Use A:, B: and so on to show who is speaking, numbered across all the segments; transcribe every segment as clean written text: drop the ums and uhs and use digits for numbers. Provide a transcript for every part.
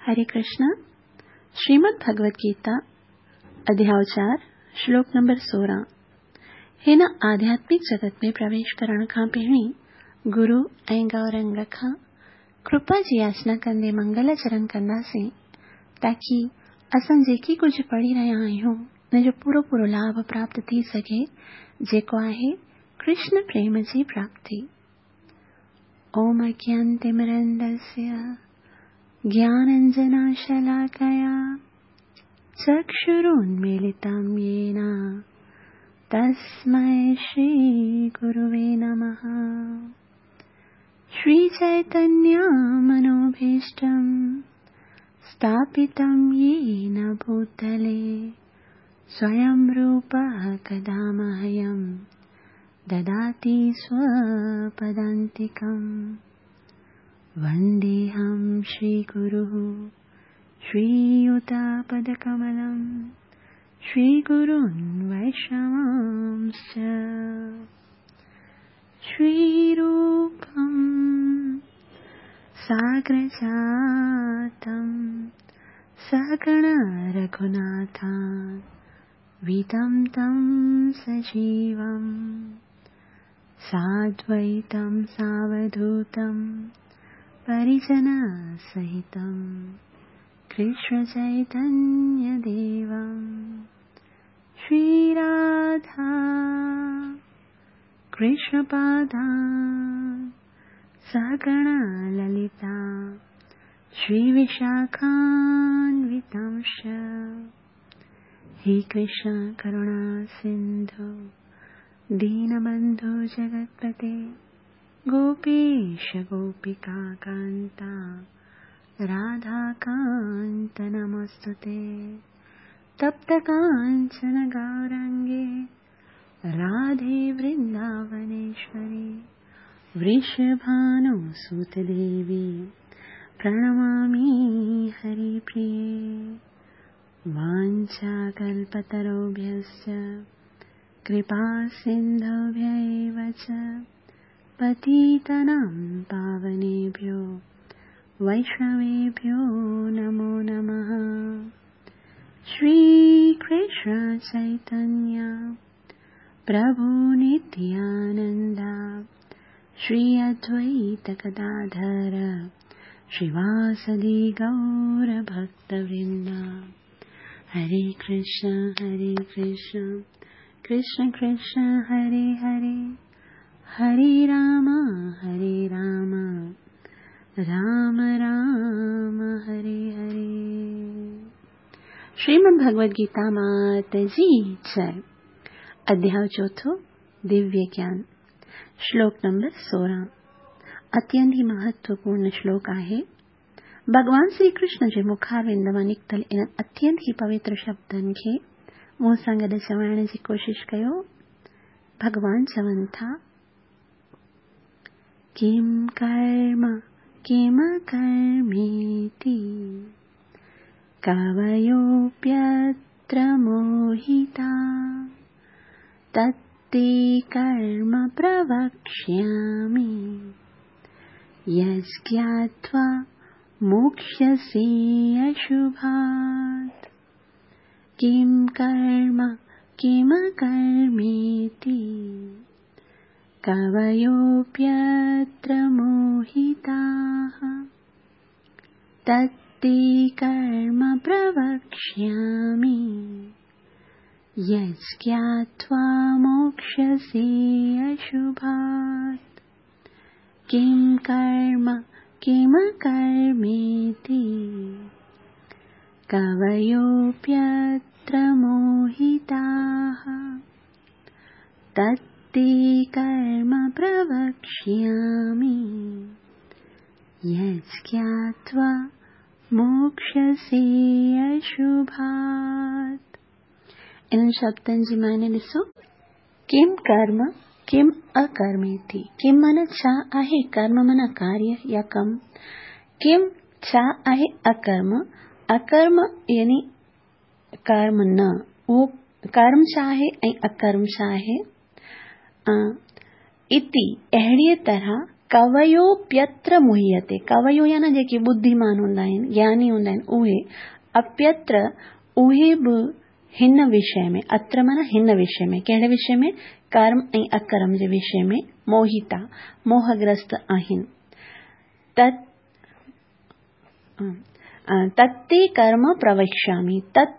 A: हरे कृष्णा। श्रीमद् भगवद गीता अध्याय 4 श्लोक नंबर 16। हिन आध्यात्मिक जगत में प्रवेश करण खां पहिरीं गुरु ऐं गौरंग खां कृपा जी याचना कंदे मंगलाचरण कंदासीं ताकी असां जेकी कुझु पढ़ी रहिया आहियूं उन जो पूरो पूरो लाभ प्राप्त थी सघे, जेको आहे कृष्ण प्रेम जी प्राप्ति। ओम अज्ञानतिमिरन्दस्य ज्ञानाञ्जनशलाकया चक्षुरुन्मीलितं येन तस्मै श्रीगुरुवे नमः। श्रीचैतन्यमनोभीष्टं स्थापितं येन भूतले स्वयं रूपः कदा मह्यं ददाति स्वपदान्तिकम्। वन्देऽहं श्रीगुरुः श्रीयुतपदकमलं श्रीगुरून् वैष्णवांश्च। श्रीरूपं साग्रजातं सहगणरघुनाथान्वितं तं सजीवं साद्वैतं सावधूतं परिजनसहितं कृष्णचैतन्यदेवं। श्रीराधा कृष्णपादान् सहगणललिता श्रीविशाखान्वितांश्च। हे कृष्ण करुणा सिन्धु दीनबन्धु जगत्पते गोपेश गोपिका कान्ता राधाकान्त नमोऽस्तुते। तप्त काञ्चन गौरङ्गे राधे वृन्दावनेश्वरी वृषभानुसुतदेवी प्रणमामि हरिप्रिये। वाञ्छाकल्पतरुभ्यश्च कृपासिन्धुभ्य एव च पतितानां पावनेभ्यो वैष्णवेभ्यो नमो नमः। श्रीकृष्ण चैतन्य प्रभु नित्यानन्द श्री अद्वैत गदाधर श्रीवासदि गौरभक्तवृन्द। हरे कृष्ण कृष्ण कृष्ण हरे हरे, हरे राम राम राम हरे हरे। श्रीमद् भगवद गीता मात जी जय। अध्याय चौथों दिव्य ज्ञान, श्लोक नंबर 16। अत्यंत ही महत्वपूर्ण श्लोक आहे। भगवान श्री कृष्ण जे मुखारविंद मां निकितल इन्हनि अत्यंत ही पवित्र शब्दनि खे मूं सां गॾु चवण जी कोशिश कयो। भगवान चवनि था, किं कर्म किम कर्मेति कवयोऽप्यत्र मोहिता तत्ते कर्म प्रवक्ष्यामि यज्ञात्वा मोक्ष्यसि अशुभात्। किं कर्म किम कर्मेति कवयोऽप्यत्र मोहिताः तत्ते कर्म प्रवक्ष्यामि यज्ञात्वा मोक्ष्यसि अशुभात्। किं कर्म किम कर्मेति कवयोऽप्यत्र मोहिताः तत्ते कर्म प्रवक्ष्यामि यज्ञात्वा मोक्ष्यसि अशुभात्। इन्हनि शब्दनि जी माने ॾिसो, किम कर्म किम अकर्मेति। किम माना छा आहे, कर्म माना कार्य या कम। किम छा आहे अकर्म, अकर्म यानी कर्म न, उहो कर्म छा आहे ऐं अकर्म छा आहे। इति अहिड़ीअ तरह ڪويوپيتر موهيتي، ڪويو يعني جيڪي ٻڌيمان هوندا آهن، گياني هوندا آهن، اهي، اپيتر اهي به هن وشي ۾، اتر معنيٰ هن وشي ۾، ڪهڙي وشي ۾؟ ڪرم ۽ اڪرم جي وشي ۾ موهيتا، موهگرست، آهن. تت تت تي ڪرم پروڪشامي، تت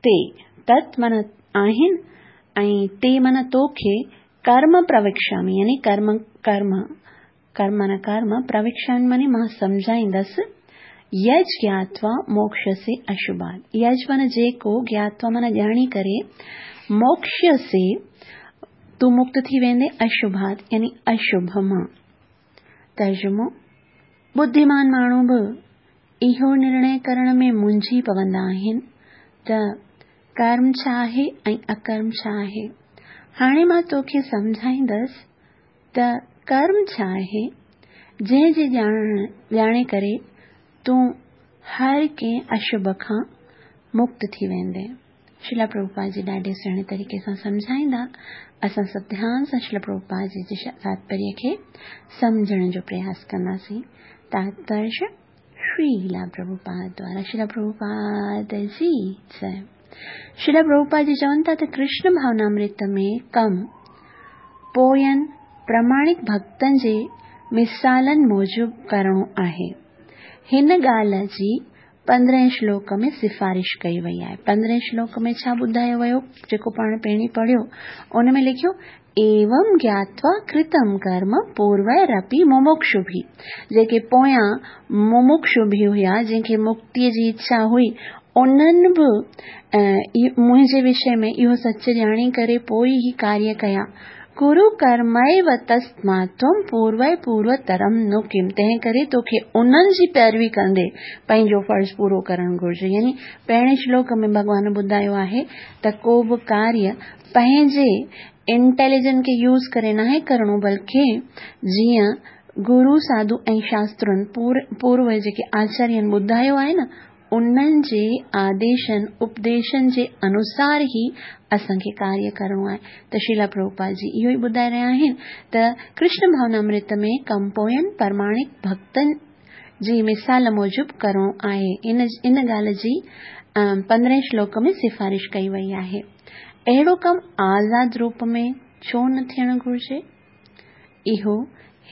A: تي، تت معنيٰ آهن ۽ تي معنيٰ توکي، ڪرم پروڪشامي يعني ڪرم ڪرم ڪرم معنيٰ ڪرم، پروڪشامي معنيٰ مان سمجهائيندس، يج گياتوا موڪشسي اشڀات، يج معنيٰ جيڪو، گياتوا معنيٰ ڄاڻي ڪري، موڪشسي تون مڪت ٿي ويندين، اشڀات يعني اشڀ مان. ترجمو، ٻڌيمان ماڻهو به اهو نرڻي ڪرڻ ۾ منجهي پوندا آهن ته ڪرم ڇا آهي ۽ اڪرم ڇا آهي. هاڻي مان توکي سمجهائيندس ته ڪرم ڇا آهي، جنهن جي ڄاڻي ڪري تون هر ڪنهن اشڀ کان مڪت ٿي ويندين. شريلا پرڀوپاد جي ڏاڍي سهڻي طريقي سان سمجهائيندا. اسان سڀ ڌيان سان شريلا پرڀوپاد جي جي تاتپريه کي سمجهڻ جو پرياس ڪنداسين. تاتپريه شريلا پرڀوپاد دوارا شريلا پرڀوپاد جي جئي. شريلا پرڀوپاد جي چون ٿا ته ڪرشن ڀاونامرت ۾ ڪم پوين پراماڻڪ ڀڳتن جي مثالن موجب ڪرڻو آهي. هن ڳالهه جي پندرهين شلوڪ ۾ سفارش ڪئي وئي آهي. پندرهين شلوڪ ۾ ڇا ٻڌايو ويو جيڪو پاڻ پهرين پڙهيو ان ۾ لکيو ايوم گياتوا ڪرتم ڪرم پورويرپي ممڪشوڀي جيڪي پويان ممڪشوڀي هيا جن کي مڪتي جي اڇا هئي انهن به منهنجي وشي ۾ اهو سچ ڄاڻي ڪري پوء هي ڪاريه ڪيا. ڪرو ڪرميو تسمات تم پوروي پوروترم نو ڪم تنهن ڪري توکي انهن جي پيروي ڪندي پنهنجو فرض پورو ڪرڻ گهرجي يعني پهرين شلوڪ ۾ ڀڳوان ٻڌايو آهي ته ڪو به ڪاريه پنهنجي انٽيليجنٽ کي يوز ڪري ناهي ڪرڻو بلڪه جيئن گرو ساڌو ۽ شاسترن پورو جيڪي آچارين ٻڌايو آهي نه انهن جي آديشن، اپديشن، جي انوسار ئي اسان کي ڪاريه ڪرڻو آهي ته شريلا پرڀوپاد جي اهو ئي ٻڌائي رهيا آهن ته ڪرشن ڀاونامرت ۾ ڪم پوين پرماڻڪ ڀڳتن جي مثال موجب ڪرڻو آهي. ان ان ڳالهه جي پندرهين شلوڪ ۾ سفارش ڪئي وئي آهي. اهڙو ڪم آزاد روپ ۾ ڇو نه ٿيڻ گهرجي؟ اهو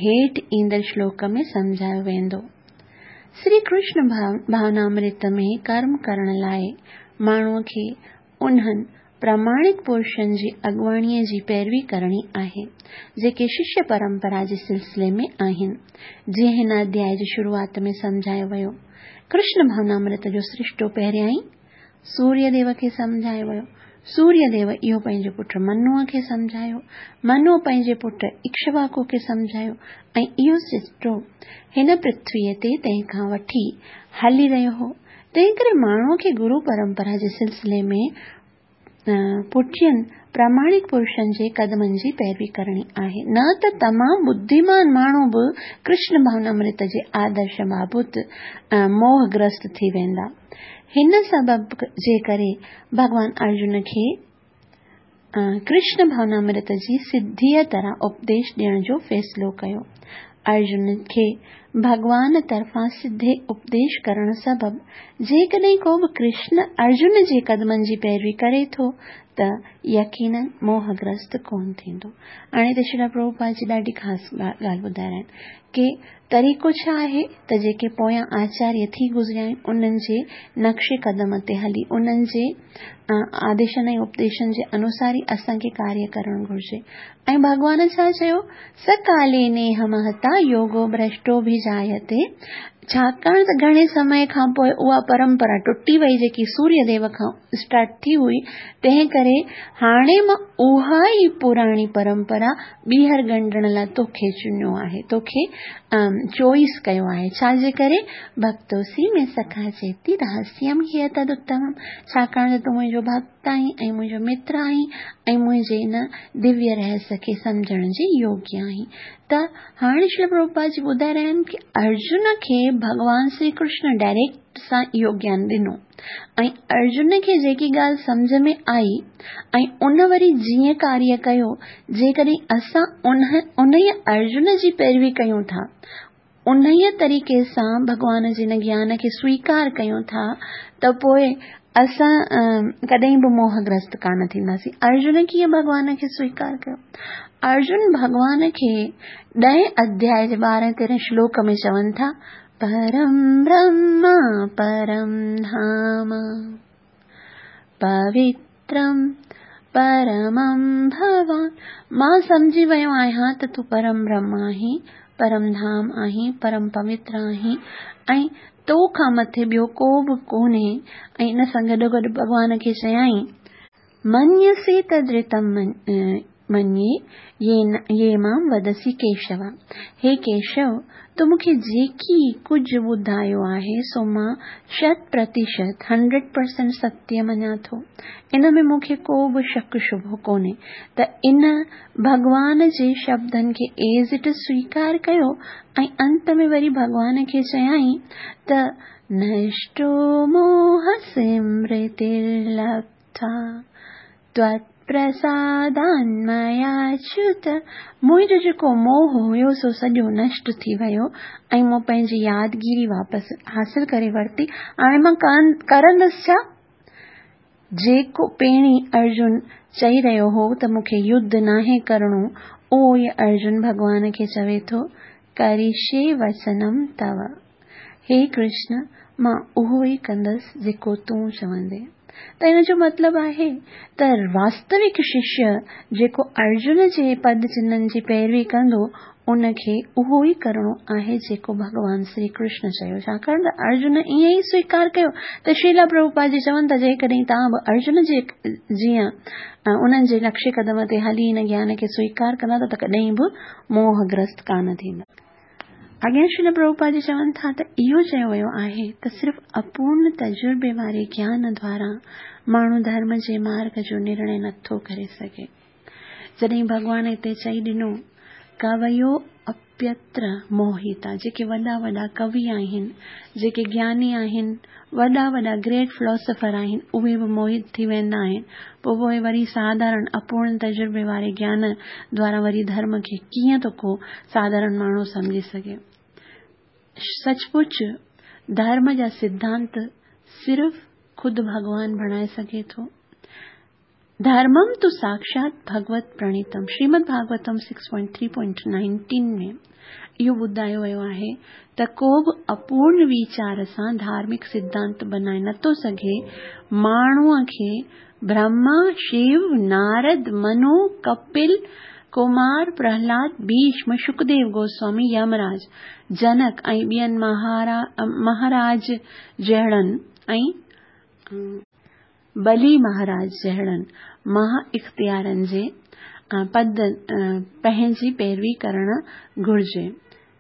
A: هيٺ ايندڙ شلوڪ ۾ سمجهايو ويندو. سري ڪرشن ڀاونامرت ۾ ڪرم ڪرڻ لاء ماڻهوء کي انهن پراماڻڪ پرشن جي اڳواڻيء جي پيروي ڪرڻي آهي، جيڪي ششيه پرمپرا جي سلسلي ۾ آهن، جيئن هن اڌيائي جي شروعات ۾ سمجهايو ويو. ڪرشن ڀاونامرت جو سرشتو پهريائين سوريه ديو کي سمجهايو ويو. سوريه ديو اهو پنهنجي پٽ منوء کي سمجهايو. منوء پنهنجي پٽ اڪشواڪو کي سمجهايو ۽ اهو سرشتو هن پرٿويء تي تنهن کان وٺي هلي رهيو هو. تنهنڪري ماڻهوء کي گرو پرمپرا جي سلسلي ۾ پٺين پراماڻڪ پرشن جي قدمن جي پيروي ڪرڻي آهي. نه ته تمام ٻڌيمان ماڻهو به ڪرشن ڀاونامرت جي آدرش بابت موهگرست ٿي ويندا. هن سبب جي ڪري ڀڳوان ارجن کي ڪرشن ڀاونامرت جي سڌيء طرح اپديش ڏيڻ جو فيصلو ڪيو. ارجن کي ڀڳوان طرفان سڌي اپديش ڪرڻ سبب جيڪڏهن ڪو به ڪرشن ارجن جي قدمن جي پيروي ڪري ٿو ته يقينن موهگرست ڪونه ٿيندو. هاڻي ته شريلا پرڀوپاد جي ڏاڍي خاص ڳالهه ٻڌائي رهيا آهن ڪي طريقو ڇا آهي ته جيڪي پويان آچاريه ٿي گذريا آهن انهن جي نقش قدم تي هلي انهن جي آديشن ۽ اپديشن جي انوسار ئي اسان کي ڪاريه ڪرڻ گهرجي ۽ ڀڳوان ڇا چيو سڪالي نيهه مهتا يوگو ڀرشٽو ڀي جايتي ڇاڪاڻ ته گهڻي سمي کان پوء اها پرمپرا ٽٽي وئي جيڪي سوريه ديو کان اسٽارٽ ٿي هئي تنهن ڪري هاڻي مان اها ئي پراڻي پرمپرا ٻيهر ڳنڍڻ لاء توکي چنيو آهي، توکي چوائس ڪيو آهي، ڇا جي ڪري؟ ڀڪتوسي مي سکا چيتي رهسيم هي تداتمم، ڇاڪاڻ ته تون منهنجو ڀڳت آهين ۽ منهنجو متر آهين ۽ منهنجي ان دويه رهس کي سمجهڻ جي يوگيه آهين. त हाणे श्रील प्रभुपाद जी ॿुधाए रहिया आहिनि की अर्जुन खे भॻवान श्री कृष्ण डायरेक्ट सां इहो ज्ञान ॾिनो ऐं अर्जुन खे जेकी ॻाल्हि सम्झ में आई ऐं उन वरी जीअं कार्य कयो, जेकॾहिं असां उन अर्जुन जी पैरवी कयूं था, उन तरीक़े सां भॻवान जे हिन ज्ञान खे स्वीकार कयूं था, त पोइ असां कॾहिं बि मोहग्रस्त कान थींदासीं। अर्जुन कीअं भॻवान खे स्वीकार कयो? अर्जुन भॻवान खे 10 अध्याय जे 12-13 श्लोक में चवनि था, परम ब्रह्म परम धाम पवित्रम परमं भवान। मां सम्झी वियो आहियां त तूं परम ब्रह्म आहीं, परम धाम आहीं, परम पवित्र आहीं ऐं तो खां मथे ॿियो को बि कोन्हे। ऐं इन सां गॾोगॾु भॻवान खे चयाईं, मन्यसे तदृतं मन्ये ये मां वदसि केशव। हे केशव, तो मूंखे जेकी कुझु ॿुधायो आहे सो मां 100% 100% सत्य मञा थो, इन में मूंखे को बि शक शुभो कोन्हे। त इन भॻवान जे शब्दनि खे एज़ it is स्वीकार कयो ऐं अंत में वरी भॻवान खे चयाईं त नष्टो मोह स्मृतिर्लब्ध्वा त्वत्प्रसादान्मयाच्युत। मुंहिंजो जेको मोह हुयो सो सॼो नष्ट थी वियो ऐं मूं पंहिंजी यादगिरी वापसि हासिल करे वरिती। हाणे मां करंदसि छा? जेको पहिरीं अर्जुन चई रहियो हो त मूंखे युद्ध नाहे करिणो, उहो ई अर्जुन भॻवान खे चवे थो, करिष्ये वचनम तव। हे कृष्ण, मां उहो ई कंदसि जेको तूं चवंदे। त इन जो मतिलबु आहे त वास्तविक शिष्य जेको अर्जुन जे पद चिन्हनि जी पैरवी कंदो, उनखे उहो ई करिणो आहे जेको भॻवान श्री कृष्ण चयो। छाकाणि त अर्जुन ईअं ई स्वीकार कयो। त श्रीला प्रभुपाद जी चवनि था, जेकॾहिं तव्हां बि अर्जुन जे जीअं उन्हनि जे नक्शे कदम ते हली हिन ज्ञान खे स्वीकार कंदा त कॾहिं बि मोहग्रस्त कान थींदा। अॻियां श्रील प्रभुपाद जी चवनि था त इहो चयो वियो आहे त सिर्फ़ अपूर्ण तजुर्बे वारे ज्ञान द्वारा माण्हू धर्म जे मार्ग जो निर्णय नथो करे सघे। जॾहिं भॻवान हिते चई ॾिनो, कवयो अप्यत्र मोहिता, जेके वॾा वॾा कवि आहिनि, जेके ज्ञानी आहिनि, वॾा वॾा ग्रेट फिलोसोफर आहिनि, उहे बि मोहित थी वेंदा आहिनि। पोइ वरी साधारण अपूर्ण तजुर्बे वारे ज्ञान द्वारा वरी धर्म खे कीअं थो को साधारण माण्हू सम्झी सघे? सचमुच धर्म जा सिद्धांत सिर्फ़ ख़ुदि भॻवान बणाए सघे थो। धर्मम तो साक्षात भगवत प्रणीतम। श्रीमद् भागवतम 6.3.19 में इहो ॿुधायो वियो आहे त को बि अपूर्ण वीचार सां धार्मिक सिद्धांत बनाए नथो सघे। माण्हूअ खे ब्रह्मा, शिव, नारद, मनु, कपिल, कुमार, प्रहलाद, भीष्म, शुकदेव गोस्वामी, यमराज, जनक ऐं ॿियनि महाराज जहिड़नि ऐं बलि महाराज जहिड़नि महा इख़्तियारनि जे पद पंहिंजी पैरवी करणु घुरिजे।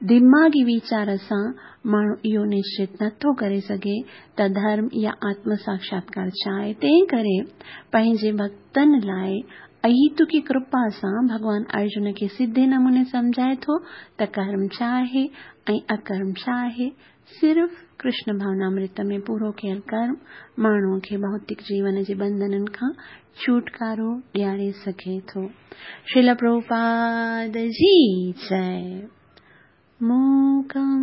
A: दिमागी वीचार सां माण्हू इहो निश्चित नथो करे सघे त धर्म या आत्म साक्षात्कार छा आहे। तंहिं करे पंहिंजे भक्तनि लाइ अहितुकी कृपा सां भॻवान अर्जुन खे सिधे नमूने सम्झाए थो त कर्म छा आहे ऐं अकर्म छा आहे। सिर्फ़ कृष्ण भावनामृत में पूरो कयल कर्म माण्हूअ खे भौतिक जीवन जे बंधननि खां छुटकारो ॾियारे सघे थो। श्रील प्रभुपाद जी जय। मूकं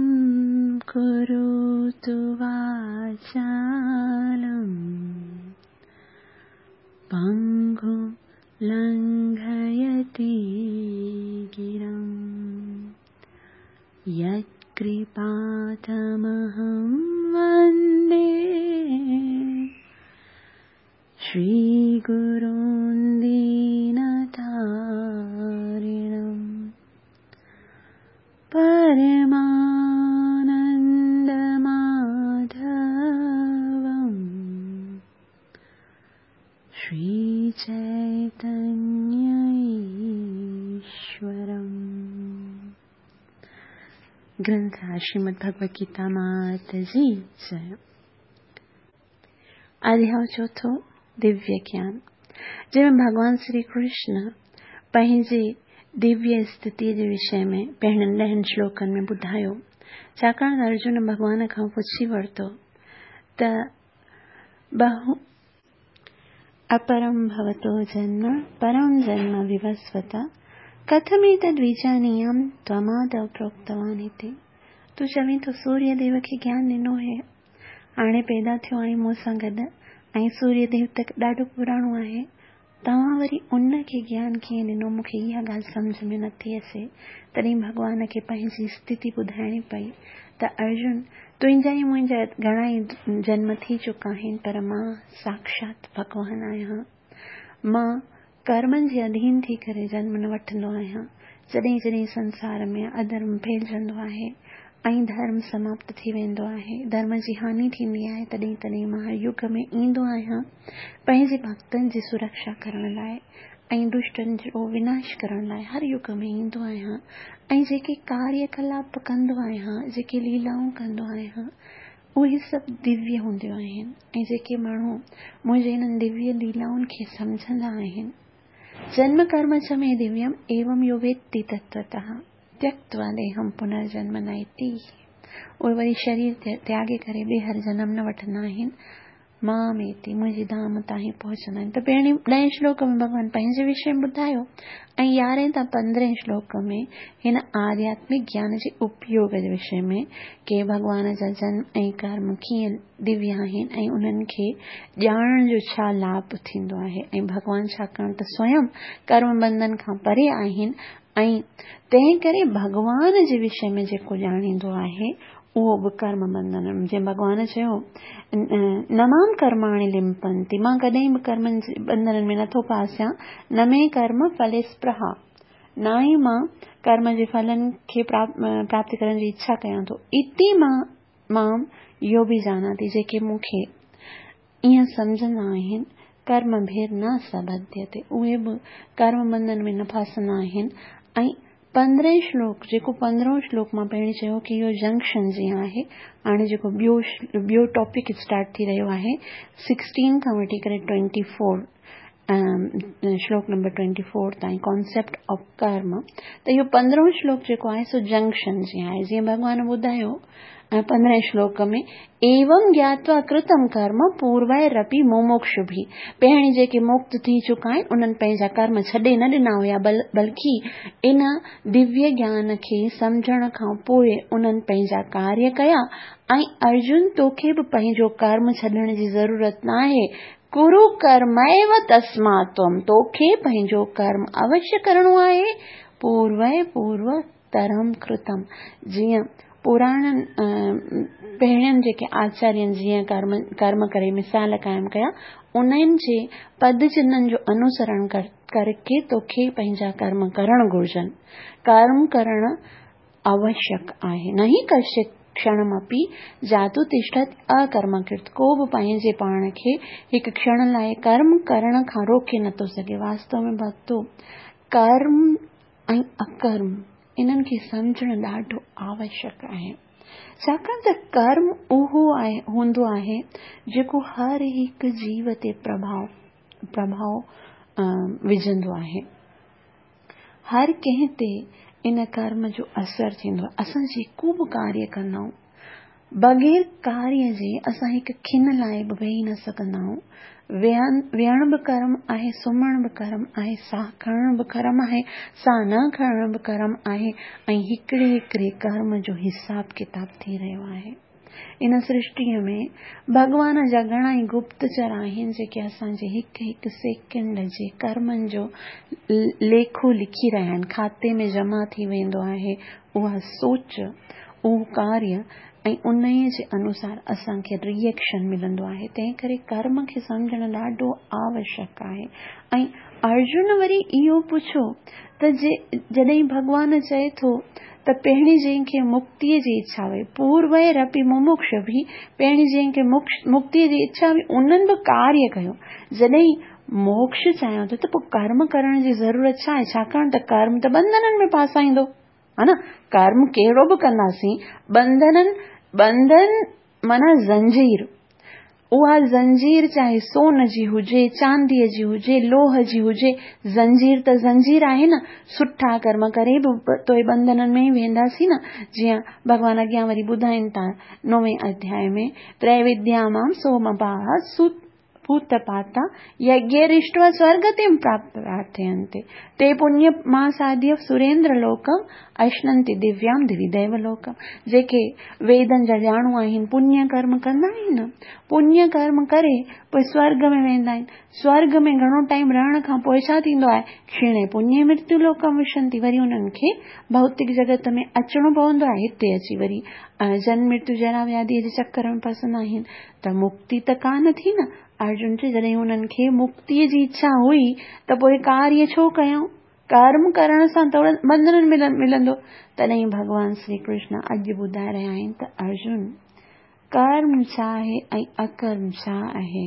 A: करोतु वाचालं पङ्गुं लङ्घयते गिरिं यत्कृपातमहं वन्दे श्रीगुरुं दीनतारिणं परमानन्दमाधवं श्रीचैतन्यईश्वरम्। ग्रंथ श्रीमद् भगवद गीता मात जी जय। अध्याय चोथों, दिव्य ज्ञान, जंहिंमें भॻवान श्री कृष्ण पंहिंजे دويه اسٿتيء جي وشي ۾ پهرين ڏهن شلوڪن ۾ ٻڌايو. ڇاڪاڻ ته ارجن ڀڳوان کان پڇي ورتو ته بهو اپرم ڀوتو جنم پرم جنم ووسوت ڪٿميتد ويجانيام त्वमादौ پروڪتوان اتي. تون چوين ٿو سوريه ديو کي گيان ڏنو هي. هاڻي پيدا ٿيو آهين مون سان گڏ ۽ سوريه ديو ته ڏاڍو پراڻو آهي. توهان وري ان کي گيان ڪيئن ڏنو مون کي اها ڳالهه سمجهه ۾ نٿي اچي. تڏهن ڀڳوان کي پنهنجي اسٿتي ٻڌائڻي پئي ته ارجن تنهنجا ۽ منهنجا گهڻا ئي جنم ٿي چڪا آهن پر مان ساڪشات ڀڳوان آهيان. مان ڪرمن جي اڌين ٿي ڪري جنم نه وٺندو آهيان. جڏهن جڏهن سنسار ۾ اڌرم ڦهلجندو آهي ۽ ڌرم سماپت ٿي ويندو آهي، ڌرم جي هاني ٿيندي آهي، تڏهن تڏهن مان هر يگ ۾ ايندو آهيان پنهنجي ڀڳتن جي سرڪشا ڪرڻ لاء ۽ دشٽن جو وناش ڪرڻ لاء هر يگ ۾ ايندو آهيان ۽ جيڪي ڪاريه ڪلاپ ڪندو آهيان، جيڪي ليلائون ڪندو آهيان، اهي سڀ دويه هونديون آهن ۽ جيڪي ماڻهو منهنجي انهن دويه ليلائن کي سمجهندا آهن، جنم ڪرم چ مي دويم ايوم يو ويتي تتوتः تيڪتوا ديهم پنرجنم نيتي اهي وري شرير تياڳي ڪري ٻيهر جنم نه وٺندا آهن، مام ايتي، منهنجي ڌام تائين پهچندا آهن. ته پهرين ڏهين شلوڪ ۾ ڀڳوان پنهنجي وشي ۾ ٻڌايو ۽ يارهين تان پندرهين شلوڪ ۾ هن آڌياتمڪ گيان جي اپيوگ جي وشي ۾ ڪي ڀڳوان جا جنم ۽ ڪرم ڪيئن دويه آهن ۽ انهن کي ڄاڻڻ جو ڇا لاڀ ٿيندو آهي ۽ ڀڳوان ڇاڪاڻ ته سويم ڪرم بنڌن کان پري آهن ۽ تنهن ڪري ڀڳوان جي وشي ۾ جيڪو ڄاڻيندو آهي اهو به ڪرم بنڌن جيئن ڀڳوان چيو نه مام ڪرماڻي لمپنتي مان ڪڏهن به ڪرمن جي بنڌنن ۾ نٿو ڦاسيان نه مي ڪرم ڦلي سپرها نه ئي مان ڪرم جي ڦلن کي پراپت ڪرڻ جي اڇا ڪيان ٿو اتي مان مام يو به جاناتي جيڪي مون کي ائين سمجهندا آهن، ڪرم ڀير نه سبڌيتي، اهي به ڪرم بنڌن ۾ نه ڦاسندا آهن ۽ پندرهين شلوڪ جيڪو پندرهون شلوڪ مان پهرين چيو ڪي اهو جنڪشن جيئن آهي هاڻي جيڪو ٻيو ٻيو ٽاپڪ اسٽارٽ ٿي رهيو آهي سڪسٽين کان وٺي ڪري ٽوئنٽي فور شلوڪ نمبر ٽوئنٽي فور تائين ڪانسيپٽ آف ڪرم ته اهو پندرهون شلوڪ جيڪو آهي سو جنڪشن جيئن آهي جيئن ڀڳوان ٻڌايو پندرهين شلوڪ ۾ ايوم گياتوا ڪرتم ڪرم پورويرپي مموڪشڀي پهرين جيڪي مڪت ٿي چڪا آهن انهن پنهنجا ڪرم ڇڏي نه ڏنا هيا بلڪه ان دويه گيان کي سمجهڻ کان پوء انهن پنهنجا ڪاريه ڪيا ۽ ارجن توکي به پنهنجو ڪرم ڇڏڻ جي ضرورت ناهي ڪرو ڪرميو تسمات تم توکي پنهنجو ڪرم اوشيه ڪرڻو آهي پوروي پورو ترم ڪرتم جيئن پراڻن پهرين جيڪي آچارين جيئن ڪرم ڪرم ڪري مثال قائم ڪيا انهن جي پد چنهن جو انوسرڻ ڪرڪي توکي پنهنجا ڪرم ڪرڻ گهرجن ڪرم ڪرڻ آوشيڪ آهي نه هي ڪشچت ڪشڻمپي جاتو تشٺت اڪرمڪرت ڪو به پنهنجي پاڻ کي هڪ ڪشڻ لاء ڪرم ڪرڻ کان روڪي نٿو سگهي واستو ۾ ڀڳتو ڪرم ۽ اڪرم انهن کي سمجهڻ ڏاڍو آوشيڪ آهي. ڇاڪاڻ ته ڪرم اهو آهي هوندو آهي جيڪو هر هڪ جيو تي پرڀاء پرڀاء وجهندو آهي. هر ڪنهن تي ان ڪرم جو اثر ٿيندو آهي. اسان جيڪو به ڪاريه ڪندا آهيون بغير ڪاريه جي اسان هڪ کن لاء به ويهي نه سگهندا آهيون. ويهڻ به ڪرم آهي، سمهڻ به ڪرم آهي، ساهه کڻڻ به ڪرم آهي، ساهه نه کڻڻ به ڪرم آهي ۽ هڪڙي هڪڙي ڪرم جو حساب ڪتاب ٿي رهيو آهي. ان سرشٽيء ۾ ڀڳوان جا گهڻا ئي گپتچر آهن جيڪي اسان جي هڪ هڪ سيڪنڊ جي ڪرمن جو ليکو لکي رهيا آهن. کاتي ۾ جمع ٿي ويندو آهي اها سوچ اهو ڪاريه ۽ انهيء جي انوسار اسان کي ري ايڪشن ملندو آهي، تنهن ڪري ڪرم کي سمجهڻ ڏاڍو آوشيڪ آهي. ۽ ارجن وري اهو پڇيو ته جي جڏهن ڀڳوان چئي ٿو ته پهرين جنهن کي مڪتيء جي اڇا هئي، پورويرپي مموڪشڀي، پهرين جنهن کي مڪتيء جي اڇا هئي انهن به ڪاريه ڪيو، جڏهن موڪش چاهيان ٿو ته پوء ڪرم ڪرڻ جي ضرورت ڇا آهي، ڇاڪاڻ ته ڪرم ته ٻنڌنن ۾ ڦاسائيندو. ها نه ڪرم ڪهڙو به ڪنداسين ٻنڌنن ٻنڌن معنيٰ زنجير اها زنجير چاهي سون جي هجي، چانديء جي هجي، لوهه جي هجي، زنجير ته زنجير آهي نه. سٺا ڪرم ڪري به توئي ٻنڌنن ۾ ئي وينداسين نه. جيئن ڀڳوان اڳيان وري ٻڌائين ٿا نوين اڌياء ۾، تريوديا مام سومپاها پوت پاتا يگيرشٽوا سورگتيم پراپٿينتي تي پڃ ماساديه سريندر لوڪم اشننتي دويام دوي ديو لوڪم. جيڪي ويدن جا ڄاڻو آهن، پڃ ڪرم ڪندا آهن نه، پڃ ڪرم ڪري پوء سورگ ۾ ويندا آهن. سورگ ۾ گهڻو ٽائيم رهڻ کان پوء ڇا ٿيندو آهي؟ ڪشيڻي پڃي مرتيو لوڪم وشنتي، وري انهن کي ڀوتڪ جڳت ۾ اچڻو پوندو آهي. هتي اچي وري جنم مرتيو جرا وياڌيء جي چڪر ۾ پسندا آهن ته مڪتي ته ڪانه ٿي نه. ارجن چيو جڏهن انهن کي مڪتيء جي اڇا هئي ته پوء ڪاريه ڇو ڪيائون؟ ڪرم ڪرڻ سان ته ٻنڌن ملندو. تڏهن ڀڳوان شري ڪرشن اڄ ٻڌائي رهيا آهن ته ارجن! ڪرم ڇا آهي ۽ اڪرم ڇا آهي؟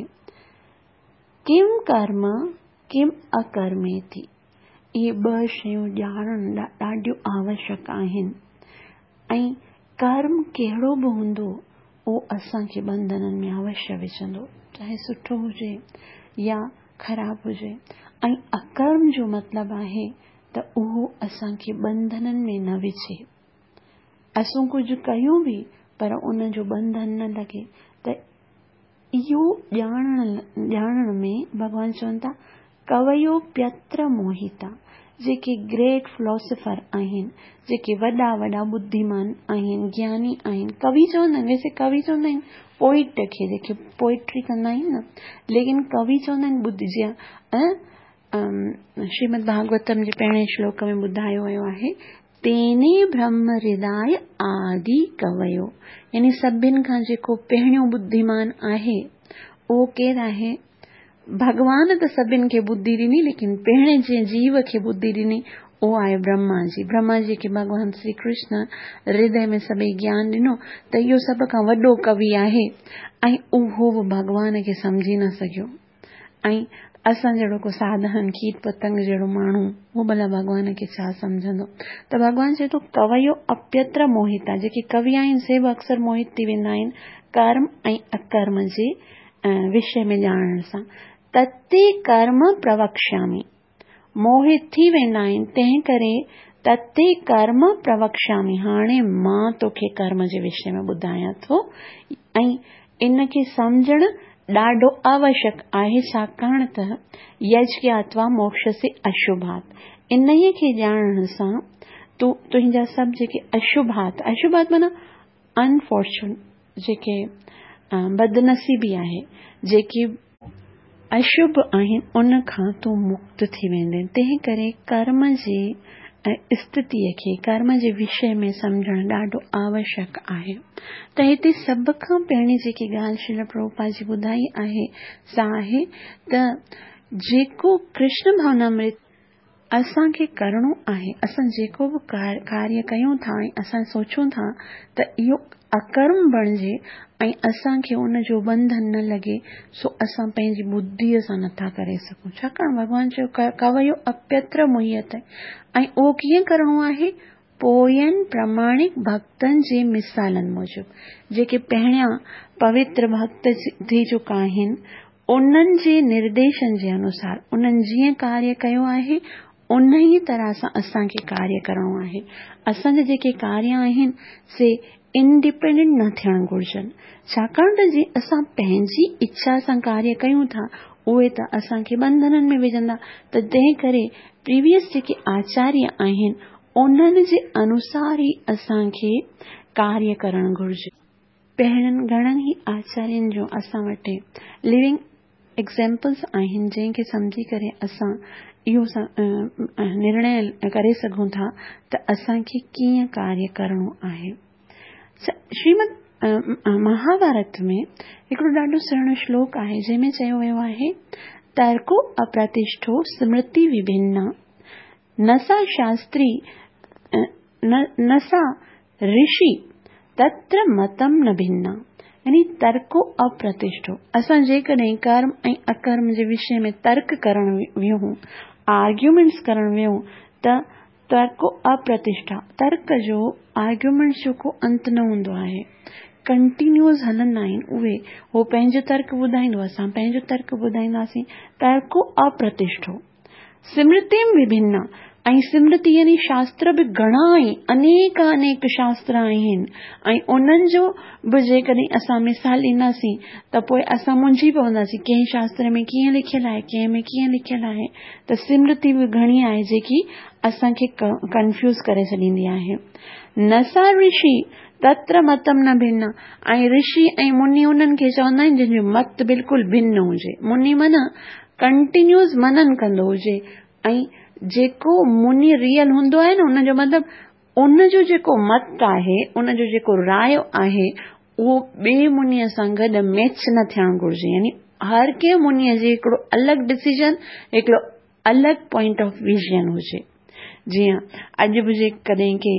A: ڪم ڪرم ڪم اڪرميتي. اهي ٻه شيون ڄاڻڻ ڏاڍيون آوشڪ آهن ۽ ڪرم ڪهڙو به هوندو اهو اسان کي ٻنڌنن ۾ اوشيه وجهندو، چاهي سٺو هجي يا خراب هجي ۽ اڪرم جو مطلب آهي ته اهو اسان کي ٻنڌنن ۾ نه وجهي. اسون ڪجهه ڪيون به پر ان جو ٻنڌن نه لڳي ته اهو ڄاڻڻ ڄاڻڻ ۾ ڀڳوان چون ٿا ڪويو پيتر موهيتا جيڪي گريٽ فلاسفر آهن جيڪي وڏا وڏا ٻڌيمان آهن گياني آهن ڪوي چوندا آهن ويسي ڪوي چوندا آهن پوئٽ کي جيڪي پوئٽري ڪندا آهن نه ليڪن ڪوي چوندا آهن ٻڌ جيئن شريمد ڀاڳوتم جي پهرين شلوڪ ۾ ٻڌايو ويو آهي تيني برهم هرداء آدي ڪويو يعني سڀن کان جيڪو پهريون ٻڌيمان آهي اهو ڪير آهي؟ ڀڳوان ته سڀن کي ٻڌي ڏني ليڪن پهرين جنهن جيو کي ٻڌي ڏني اهو آهي برهما جي. برهما جي کي ڀڳوان شري ڪرشن هردي ۾ سڀئي گيان ڏنو ته اهو سڀ کان وڏو ڪوي آهي ۽ اهو به ڀڳوان کي سمجهي نه سگهيو. ۽ اسان جهڙو ڪو ساڌارڻ کيت پتنگ جهڙو ماڻهو اهو ڀلا ڀڳوان کي ڇا سمجهندو؟ ته ڀڳوان چئي ٿو ڪويو اپيتر موهتا جيڪي ڪوي آهن سي به اڪثر موهت ٿي ويندا آهن ڪرم ۽ اڪرم جي وشي ۾ ڄاڻڻ سان تتي ڪرم پروڪشامي موهت ٿي ويندا آهن تنهن ڪري تتي ڪرم پروڪشامي هاڻي مان توکي ڪرم جي وشي ۾ ٻڌايان ٿو ۽ ان کي سمجهڻ ڏاڍو آوشڪ آهي ڇاڪاڻ ته يجگياتوا موڪشسي اشڀات انهيء کي ڄاڻڻ سان تون تنهنجا سڀ جيڪي اشڀات اشڀات معنيٰ انفارچون جيڪي بدنصيبي آهي جيڪي اشڀ آهن ان کان تون مڪت ٿي ويندين. تنهن ڪري ڪرم جي استٿيء کي، ڪرم جي وشي ۾ سمجهڻ ڏاڍو آوشڪ آهي. ته هتي سڀ کان پهرين جيڪي ڳالهه شريل پرڀوپاد جي ٻڌائي آهي سا آهي ته جيڪو ڪرشن ڀاونامرت، اسان کي ڪرڻو آهي. اسان جيڪو به ڪاريه ڪيون ٿا ۽ اسان سوچون ٿا ته اهو اڪرم بڻجي ۽ اسان کي ان جو ٻنڌن نه لڳي سو اسان پنهنجي ٻڌيء سان نٿا ڪري سگهون. ڇاڪاڻ ڀڳوان چيو ڪويو اپيتر موهيت ۽ اهو ڪيئن ڪرڻو آهي؟ پوين پراماڻڪ ڀڳتن جي مثالن موجب، جيڪي پهريان پوتر ڀڳت ٿي چڪا آهن، انهن جي نرديشن جي انوسار، انهن جيئن ڪاريه ڪيو آهي، انهيء طرح سان اسان کي ڪاريه ڪرڻو آهي. اسان جا جيڪي ڪاريه آهن، سي انڊيپينڊنٽ نه ٿيڻ گهرجن. ڇاڪاڻ ته جي اسان پنهنجي اڇا سان ڪاريه ڪيون ٿا، اهي ته اسان کي ٻنڌنن ۾ وجهندا ته تنهن ڪري پريويس جيڪي آچاريه آهن، انهن جي انوسار ئي اسان کي ڪاريه ڪرڻ گهرجي. پهرين گهڻن ئي آچارين جو اسان وٽ لونگ ايگزيمپلس آهن جنهن کي سمجهي ڪري اسان اهو نرڻي ڪري سگهون ٿا ته اسان کي ڪيئن ڪاريه ڪرڻو آهي. شريمد مهاڀارت ۾ هڪڙو ڏاڍو سهڻو شلوڪ آهي جنهن ۾ چيو ويو آهي ترڪو اپرتشٺو سمرتي وڀنا نه سا شاستري نه سا رشي تتر متم نه ڀنا يعني ترڪو اپرتشٺو اسان جيڪڏهن ڪرم ۽ اڪرم جي وشي ۾ ترڪ ڪرڻ ويهون آرگيومينٽس ڪرڻ ويهون ته ترڪو اپرتشٺا ترڪ جو آرگيومينٽس جو ڪو انت نه هوندو آهي. ڪنٽينيوز هلندا آهن اهي هو پنهنجو ترڪ ٻڌائيندو اسان پنهنجو ترڪ ٻڌائينداسين ترڪو اپرتشٺو سمرتيم وڀن ۽ سمرتي يعني شاستر به گهڻا ئي انيڪ انيڪ شاستر آهن ۽ انهن جو به جيڪڏهن اسان مثال ڏينداسين ته پوء اسان منجهي پونداسين ڪنهن شاستر ۾ ڪيئن لکيل آهي ڪنهن ۾ ڪيئن لکيل آهي ته سمرتي به گهڻي آهي جيڪي اسان کي ڪنفيوز ڪري ڇڏيندي آهي نه سا رشي تتر متم نه ڀن ۽ رشي ۽ مني انهن کي چوندا آهن جن جو مت بلڪل ڀن هجي مني معنيٰ ڪنٽينيوز منن ڪندو هجي ۽ جيڪو مني ريئل هوندو آهي نه ان جو مطلب ان جو جيڪو مت آهي ان جو جيڪو رايو آهي اهو ٻئي منيء سان گڏ ميچ نه ٿيڻ گهرجي يعني هر ڪنهن منيء جي هڪڙو الڳ ڊسيزن هڪڙو الڳ پوائنٽ آف ويزن هجي جيئن اڄ به جيڪڏهن ڪي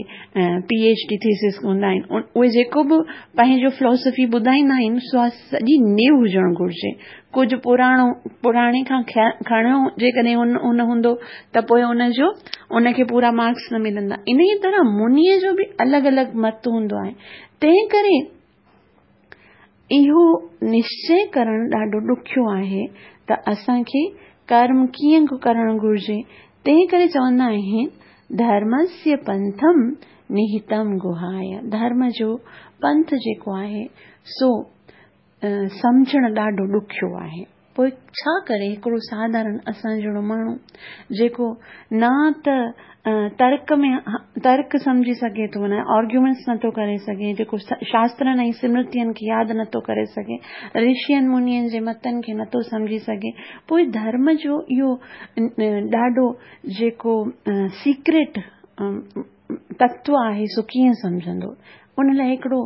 A: پي ايڇ ڊي ٿيسز هوندا آهن اهي جيڪو به پنهنجو فلاسفي ٻڌائيندا آهن سو سڄي نيو هجڻ گهرجي ڪجهه پراڻو پراڻي کان کڻيو جيڪڏهن ان ان هوندو ته پوء ان جو ان کي پورا مارڪس نه ملندا ان ئي طرح منيء جو به الڳ الڳ مت هوندو آهي تنهن ڪري اهو نشچي ڪرڻ ڏاڍو ڏکيو آهي ته اسان کي ڪرم ڪيئن ڪرڻ گهرجي، تنهن ڪري چوندا آهن ڌرمسيه پنٿم نهتم گهايه ڌرم جو پنٿ جيڪو آهي سو سمجهڻ ڏاڍو ڏکيو آهي. پوء ڇا ڪري هڪڙو ساڌارڻ اسان جهڙو ماڻهو جيڪو نه ته ترڪ ۾ ترڪ سمجهي سگهي ٿو معنيٰ آرگيومينٽس نٿو ڪري سگهي جيڪو شاسترن ۽ سمرتين کي ياد نٿو ڪري سگهي رشين منين جي متن کي نٿو سمجهي سگهي پوء ڌرم جو اهو ڏاڍو جيڪو سيڪريٽ تتو آهي سو ڪيئن سمجهندو؟ ان لاء هڪڙو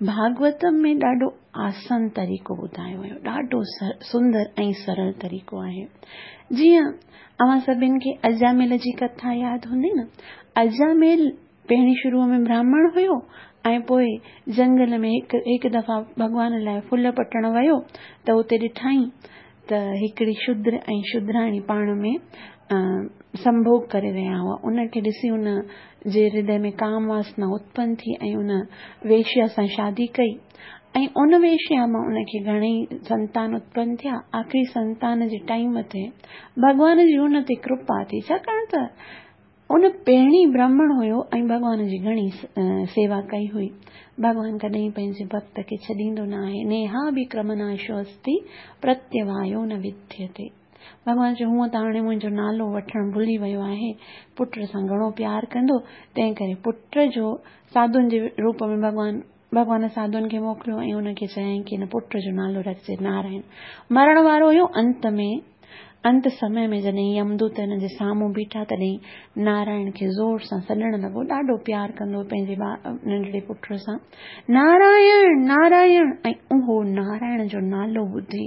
A: ڀاڳوتم ۾ ڏاڍو آسان طريقو ٻڌايو ويو ڏاڍو سندر ۽ سرل طريقو آهي جيئن اوهان سڀن کي اجاميل جي ڪٿا ياد هوندي نه اجاميل پهرين شروع ۾ براهمڻ هيو ۽ پوء جنگل ۾ هڪ هڪ دفعا ڀڳوان لاء ڦل پٽڻ ويو ته اتي ڏٺائين ته هڪڙي شودر ۽ شودراڻي پاڻ ۾ سنڀوڳ ڪري رهيا هئا. ان کي ڏسي ان جي هردي ۾ ڪام واسنا اتپن ٿي ۽ ان ويشيا سان شادي ڪئي ۽ ان ويشيا مان ان کي گهڻئي سنتان اتپن ٿيا. آخري سنتان جي ٽائيم تي ڀڳوان جي ان تي ڪرپا ٿي ڇاڪاڻ ته ان پهرين برهمڻ هيو ۽ ڀڳوان جي گهڻي سيوا ڪئي هئي. ڀڳوان ڪڏهن پنهنجي ڀڳت کي ڇڏيندو نه آهي. نيهاڀڪرمناشو استي پرتيوايو نه وديتي. ڀڳوان چيو هونء ته هاڻي منهنجو نالو وٺڻ ڀلي ويو آهي. پٽ سان گهڻو پيار ڪندو، تنهن ڪري پٽ جو ساڌن جي روپ ۾ ڀڳوان ڀڳوان ساڌن کي موڪليو ۽ ان کي چيائين ڪي هن پٽ جو نالو رکجي نارائڻ. مرڻ وارو هيو انت ۾ انت سمي ۾ جڏهن يمدوت هن جي سامهون بيٺا تڏهن نارائڻ کي زور سان سڏڻ لڳو ڏاڍو پيار ڪندو هو پنهنجي ننڍڙي پٽ سان نارائڻ نارائڻ ۽ اهو نارائڻ جو نالو ٻڌي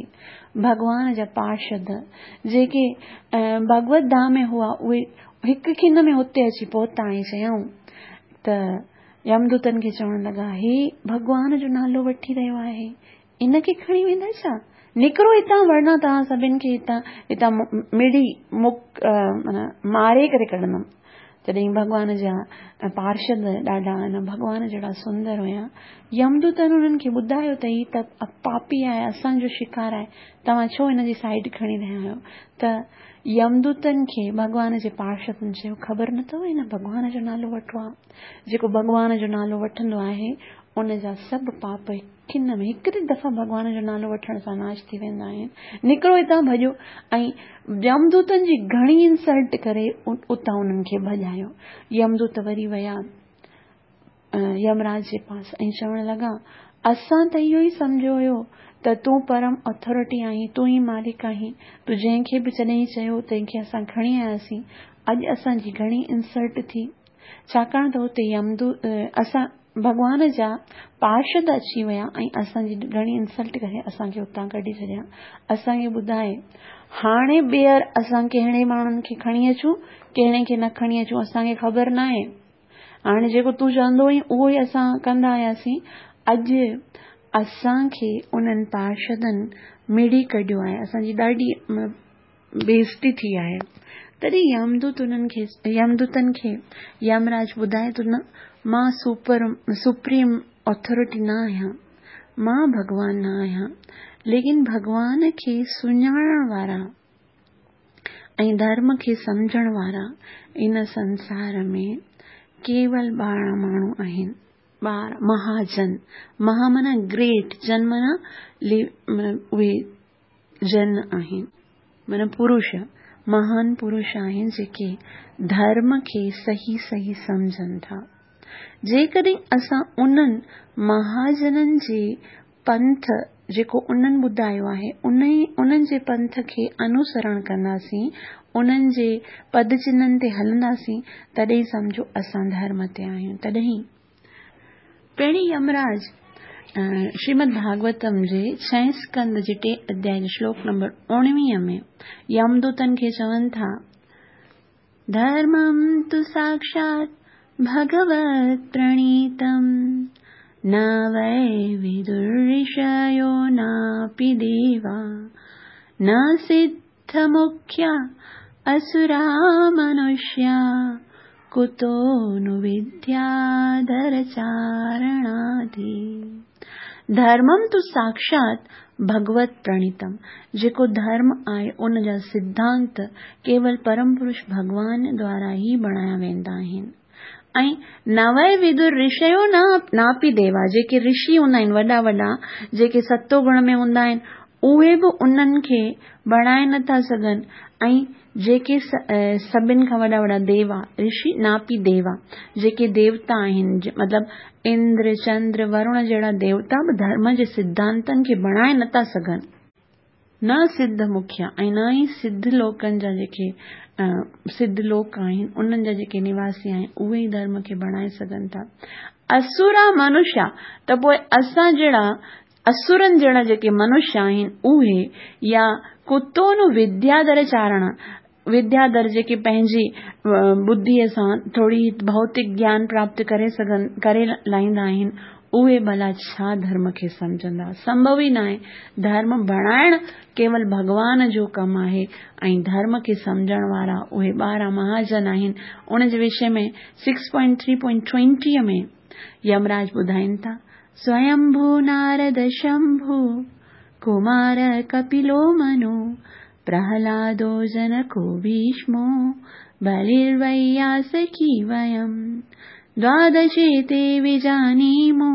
A: ڀڳوان جا پارشد جيڪي ڀڳوت ڌام ۾ هئا اهي هڪ کن ۾ اتي اچي پهتا ۽ چيائون ته يمدوتن کي چوڻ لڳا هي ڀڳوان جو نالو وٺي رهيو آهي ان کي کڻي ويندا ڇا؟ نڪرو هتان ورنه توهان سڀن کي هتان هتان مڙي مڪ معنيٰ ماري ڪري ڪڍندم. تڏهن ڀڳوان جا پارشد ڏاڍا ان ڀڳوان جهڙا سندر هيا. يمدوتن انهن کي ٻڌايو ته هي ته پاپي آهي، اسان جو شڪار آهي، توهان ڇو هن جي سائيڊ کڻي رهيا آهيو؟ ته يمدوتن کي ڀڳوان جي پارشدن چيو، خبر نه اٿو هن ڀڳوان جو نالو وٺو آهي. جيڪو ڀڳوان جو نالو وٺندو آهي، ان جا سڀ پاپ کن ۾ هڪڙي دفعا ڀڳوان جو نالو وٺڻ سان ناش ٿي ويندا آهن. نڪرو هتان ڀڄو ۽ يمدوتن جي گهڻي انسلٽ ڪري اتان انهن کي ڀڄايو. يمدوت وري ويا يمراج جي پاس ۽ چوڻ لڳا، اسان ته اهو ئي سمجهيو هيو ته تون پرم اٿارٽي آهين، تون ئي مالڪ آهين، تون جنهن کي به جڏهن چيو تنهن کي اسان کڻي آياسين، اڄ اسان جي گهڻي انسلٽ ٿي، ڇاڪاڻ ته اتي يمدو اسان ڀڳوان جا پارشد اچي ويا ۽ اسان جي گهڻي انسلٽ ڪري اسان کي اتان ڪڍي ڇڏيا. اسان کي ٻڌائي هاڻي ٻيهر اسان ڪهڙي ماڻهن کي کڻي اچون ڪهڙي کي نه کڻي اچون اسان کي خبر ناهي. هاڻي جيڪو تون چوندو هئين اهو ئي اسان ڪندا آياسين. اڄ اسان کي انهن پارشدن مڙي ڪڍيو آهي. اسان جي ڏاڍي بيعزتي ٿي آهي. تڏهن يمدوت انهن کي يمدوتن کي يمراج ٻڌائي ٿو نه مان سپر سپريم اٿارٽي نه آهيان. مان ڀڳوان نه آهيان، ليڪن ڀڳوان کي سڃاڻڻ وارا ۽ ڌرم کي سمجهڻ وارا ان سنسار ۾ ڪيول 12 ماڻهو آهن. 12 مهاجن، مها معنيٰ گريٽ، جن معنيٰ اهي جن آهن، معنيٰ پرش، مهان پرش آهن جيڪي ڌرم کي صحيح صحيح سمجهن ٿا. جيڪڏهن اسان انهن مهاجنن جي پنٿ جيڪو انهن ٻڌايو آهي، انهن جي پنٿ کي انوسرڻ ڪنداسين، انهن جي پد چنهن تي هلنداسين، تڏهن سمجهو اسان ڌرم تي آهيون. تڏهن پهرين يمراج شريمد ڀاڳوتم جي ڇهين اسڪنڌ جي ٽئين اڌيائي جي شلوڪ نمبر 19 ۾ يمدوتن کي چون ٿا، ڌرمم تو ساکشات ڀڳوت پرڻيتم نه وئي ودرشيو ناپي ديوا نه سڌ مکيا اسرا منشيا ڪتو نو ودياڌر چارڻادي. ڌرمم تو ساکشات ڀڳوت پرڻيتم، جيڪو ڌرم آهي ان جا سڌانت ڪيول پرم پرش ڀڳوان دوارا ئي بڻايا ويندا آهن. ۽ نه وئي ودر رشيو نه ناپي ديوا، جيڪي رشي هوندا آهن وڏا وڏا جيڪي ستو گڻ ۾ هوندا آهن اهي به انهن کي بڻائي نه ٿا سگهن ۽ جيڪي سڀن کان وڏا وڏا ديوا، رشي ناپي ديوا، جيڪي ديوتا آهن، مطلب اندر، چندر، ورڻ جهڙا ديوتا به ڌرم جي سڌانتن کي بڻائي نه ٿا سگهن. نه سڌ مکيا ۽ نه ئي سڌ لوڪن جا جيڪي سڌ لوڪ آهن، انهن جا جيڪي نواسي آهن، اهي ئي ڌرم کي بڻائي سگهن ٿا. اسورا منشيا ته پوء اسان جهڙا اسورن جهڙا جيڪي منشي آهن، اهي يا ڪتو نو ودياڌر چارڻ، ودياڌر جيڪي پنهنجي ٻڌيء سان ٿوري ڀوتڪ گيان پراپت ڪري سگهن ڪري لائيندا آهن، اهي ڀلا ڇا ڌرم کي سمجهندا؟ سنڀو ئي ناهي. ڌرم بڻائڻ ڪيول ڀڳوان جو ڪم آهي ۽ ڌرم کي سمجهڻ وارا اهي 12 مهاجن آهن. ان جي وشي ۾ سڪس پوائنٽ ٿري پوائنٽ ٽوئنٽيء ۾ يمراج ٻڌائين ٿا، سويمڀو نارد شنڀو، ڪمار ڪپلو منو، پرهلادو جنڪو ڀيشمو، بليروياسڪي ويم، دوادشي تي وجانيمو،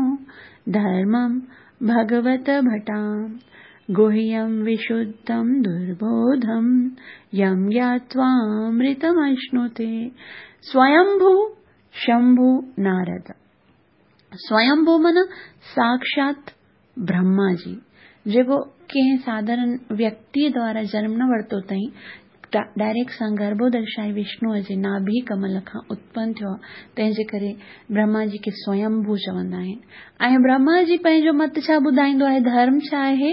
A: ڌرمم ڀڳوت ڀٽام، گهيم وشڌم دربوڌم، يم گياتوامرتمشنوتي. سويمڀو شنڀو نارد. سويمڀو معنيٰ ساکشات برهما جي، جيڪو ڪنهن ساڌارن ويڪتيء دوارا جنم نه ورتو اٿائين، ڊائريڪٽ سان گرڀودرشائي وشنوء جي ناڀي ڪمل کان اتپن ٿيو آهي، تنهن جي ڪري برهما جي کي سويمڀو چوندا آهن. ۽ برهما جي پنهنجو مت ڇا ٻڌائيندو آهي، ڌرم ڇا آهي؟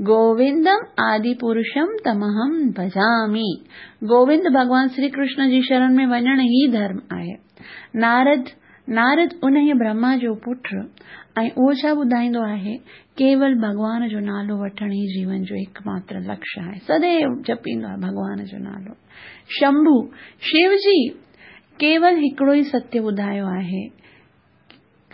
A: گووندم آدي پرشم تمهم ڀجامي. گووند ڀڳوان شري ڪرشن جي شرڻ ۾ وڃڻ ئي ڌرم آهي. نارد، نارد انهيء برهما جو پٽ ۽ اهو ڇا ٻڌائيندو آهي؟ ڪيول ڀڳوان جو نالو وٺڻ ئي جيون جو هڪ ماتر لڪشيه آهي. سديو جپيندو آهي ڀڳوان جو نالو. شنڀو، شو جي ڪيول هڪڙو ئي ستيه ٻڌايو آهي.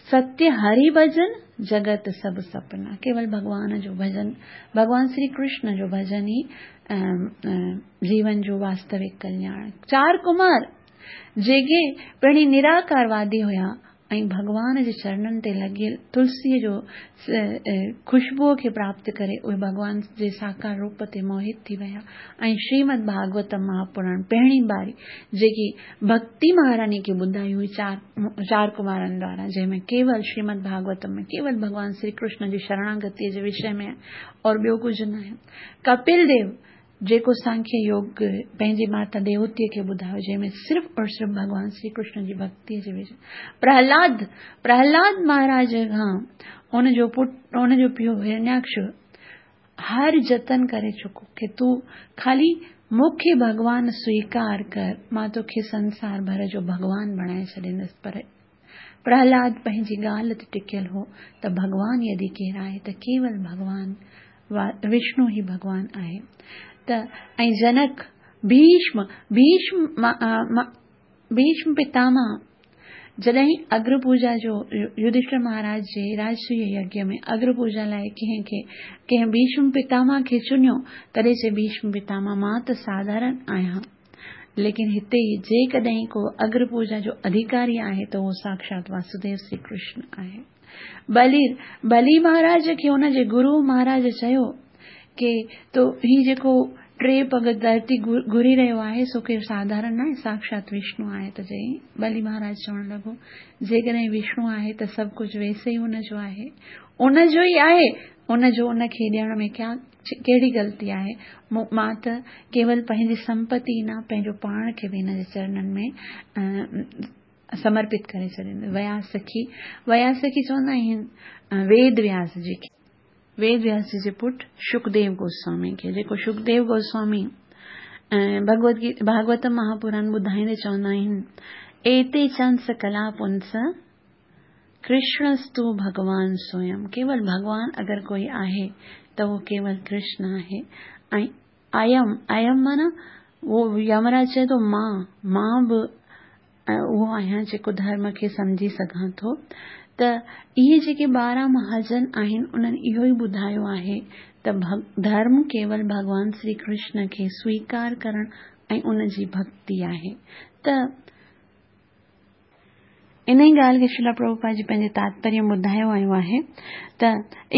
A: ستيه هري ڀجن، جڳت سڀ سپنا. ڪيول ڀڳوان جو ڀجن، ڀڳوان شري ڪرشن جو ڀجن ئي جيون جو واستوڪ ڪلياڻ. چار ڪمار جيڪي پهرين نراڪاروادي هيا ۽ ڀڳوان جي چرنن تي لڳيل تلسيء جو خوشبوء کي پراپت ڪري اهي ڀڳوان جي ساڪار روپ تي موهت ٿي ويا ۽ شريمد ڀاڳوتم مهاپراڻ پهرين باري جيڪي ڀڳتي مهاراني کي ٻڌائي هئي چار ڪمارن دوارا جنهن ۾ ڪيول شريمد ڀاڳوتم ۾ ڪيول ڀڳوان شري ڪرشن جي شرڻاگتيء جي وشي ۾ اور ٻيو ڪجهه ناهي. ڪپل ديو جيڪو سانکيه يوگ پنهنجي ماتا ديوتيء کي ٻڌايو جنهن ۾ صرف اور صرف ڀڳوان شري ڪرشن جي ڀڳتيء جي وشي. پرهلاد پرهلاد مهاراج کان ان جو پٽ ان جو پيء هرنياڪش هر جتن ڪري چڪو ڪي تون خالي مون کي ڀڳوان سويڪار ڪر مان توکي سنسار ڀر جو ڀڳوان بڻائي ڇڏيندس پر پرهلاد پنهنجي ڳالهه تي ٽڪيل هو ته ڀڳوان يدي ڪير آهي ته ڪيول ڀڳوان وشنو ئي ڀڳوان آهي ته ۽ جنڪ ڀيشم ڀيشم ڀيشم پتامه جڏهن اگر پوڄا جو يڌشٽر مهاراج جي راجسويه يگيه ۾ اگر پوڄا لاء ڪنهن کي ڪنهن ڀيشم پتاماه کي چنيو، تڏهن چئي ڀيشم پتاماه مان ته ساڌارڻ آهيان، ليڪن هتي جيڪڏهن ڪو اگر پوڄا جو اڌيڪاري آهي ته اهو ساکشات واسوديو شري ڪرشن آهي. بلي بلي مهاراج کي ان جي گرو مهاراج چيو ڪي تو هي جيڪو ٽي پڳ ڌرتي گهري رهيو آهي سو ڪير ساڌارڻ ناهي ساکشات وشنو آهي ته چئي بلي مهاراج چوڻ لڳو جيڪڏهن وشنو آهي ته سڀ ڪجهه ويسي ئي ان جو آهي ان جو ئي آهي ان جو ان کي ڏيڻ ۾ ڪيا ڪهڙي غلطي آهي مان ته ڪيول پنهنجي سمپتي نه پنهنجو پاڻ کي به هن جي چرنن ۾ سمرپت ڪري ڇڏيندس. وياس سکي، وياس سکي چوندا آهن ويد وياس جي کي. ويد وياس جي جي پٽ شڪديو گوسوامي کي، جيڪو شڪديو گوسوامي ڀڳوت گيتا ڀاڳوتم مهاپران ٻڌائيندي چوندا آهن، ايتي چنس ڪلا پنس ڪرشڻستو ڀڳوان سويم، ڪيول ڀڳوان اگر ڪوئي آهي ته اهو ڪيول ڪرشن آهي ۽ ايم، ايم معنيٰ اهو يمراج چئي ٿو مان، مان به اهو آهيان جيڪو ڌرم کي سمجهي سگهان ٿو ته اهي جيڪي 12 مهاجن آهن انهن اهو ئي ٻڌايو آهي ته ڌرم ڪيول ڀڳوان شري ڪرشن کي سويڪار ڪرڻ ۽ ان جي ڀڳتي آهي ته انهيء ڳالهه کي شريلا پرڀوپاد جي پنهنجي تاتپريه ۾ ٻڌايو ويو آهي ته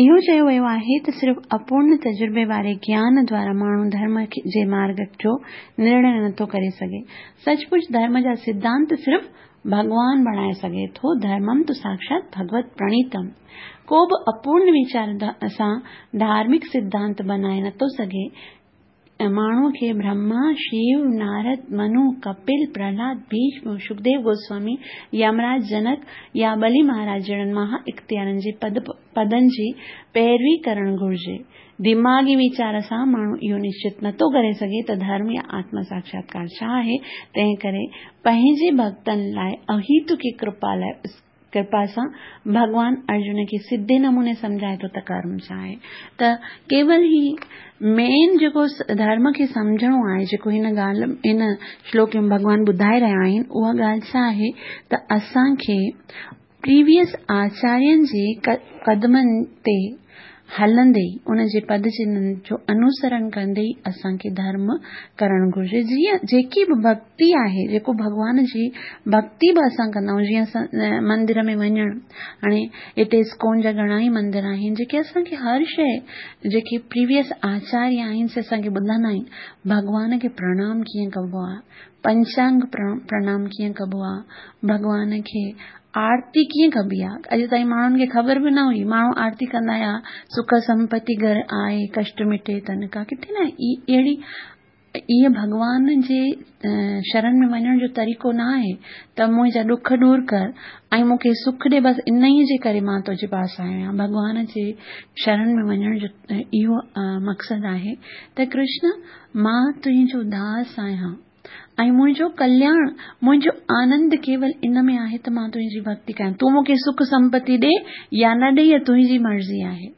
A: اهو چيو ويو آهي ته صرف اپورڻ تجربي واري گيان دوارا ماڻهو ڌرم جي مارڳ جو نرڻي نٿو ڪري سگهي. سچ پچ ڌرم جا سڌانت صرف ڀڳوان بڻائي سگهي ٿو، ڌرمم تو ساکشات ڀڳوت پرڻيتم. ڪو به اپورڻ ويچار سان ڌارمڪ سڌانت بنائي نٿو سگهي. ماڻهوء کي برهما، شيو، نارد، منو، ڪپل، پرهلاد، ڀيشم، شڪديو گوسوامي، يمراج جنڪ يا ٻلي مهاراج جهڙن مها اختيارن جي پدن جي پيروي ڪرڻ گهرجي. دماغي ويچار سان ماڻهو اهو نشچت نٿو ڪري سگهي ته ڌرم يا آتم ساکشاتڪار ڇا آهي، تنهنڪري پنهنجي ڀڳتن لاء اهيتڪي ڪرپا لاء ڪرپا سان ڀڳوان ارجن کي سڌي نموني سمجهائي ٿو ته ڪرم ڇا آهي ته ڪيول هي مين جيڪو ڌرم کي سمجهڻو آهي جيڪو هن ڳالهه هن شلوڪ ۾ ڀڳوان ٻڌائي رهيا آهن اها ڳالهه ڇا آهي ته اسان کي پريويس آچارين جي قدمن تي هلندي ان جي پد چنهن جو انوسرڻ ڪندي ئي اسان کي ڌرم ڪرڻ گهرجي. جيئن جيڪي به ڀڳتي آهي، جيڪو ڀڳوان جي ڀڳتي به اسان ڪندا آهيون، جيئن اسان مندر ۾ وڃڻ، هاڻي هتي اسڪون جا گهڻا ئي مندر آهن، جيڪي اسان کي هر شيء جيڪي پريويس آچاريه آهن سي اسان کي ٻڌائيندا آهن، ڀڳوان کي پرڻام ڪيئن ڪبو آهي، پنچانگ پرڻام ڪيئن ڪبو آهي، ڀڳوان کي آرتي ڪيئن ڪبي آ؟ اڄ تائين ماڻهن کي خبر به نه هئي. ماڻهو آرتي ڪندا هيا، سک سمپتي گهر آئي، ڪشٽ مٽي تن ڪا. ڪٿي نه اهڙي ايئن ڀڳوان جي شرن ۾ وڃڻ جو طريقو نه آهي ته منهنجا ڏک ڏور ڪر ۽ مون کي سک ڏي بس انهيء جي ڪري مان تنهنجي پاس آيو آهيان. ڀڳوان جي شرن ۾ وڃڻ جو اهو مقصد آهي ته ڪرشن مان تنهنجو داس آهيان. ۽ منهنجو ڪلياڻ، منهنجو آنند ڪيول ان ۾ آهي ته مان تنهنجي ڀڳتي ڪيان. تون مون کي سک سمپتي ڏي يا نه ڏي اها تنهنجي مرضي آهي.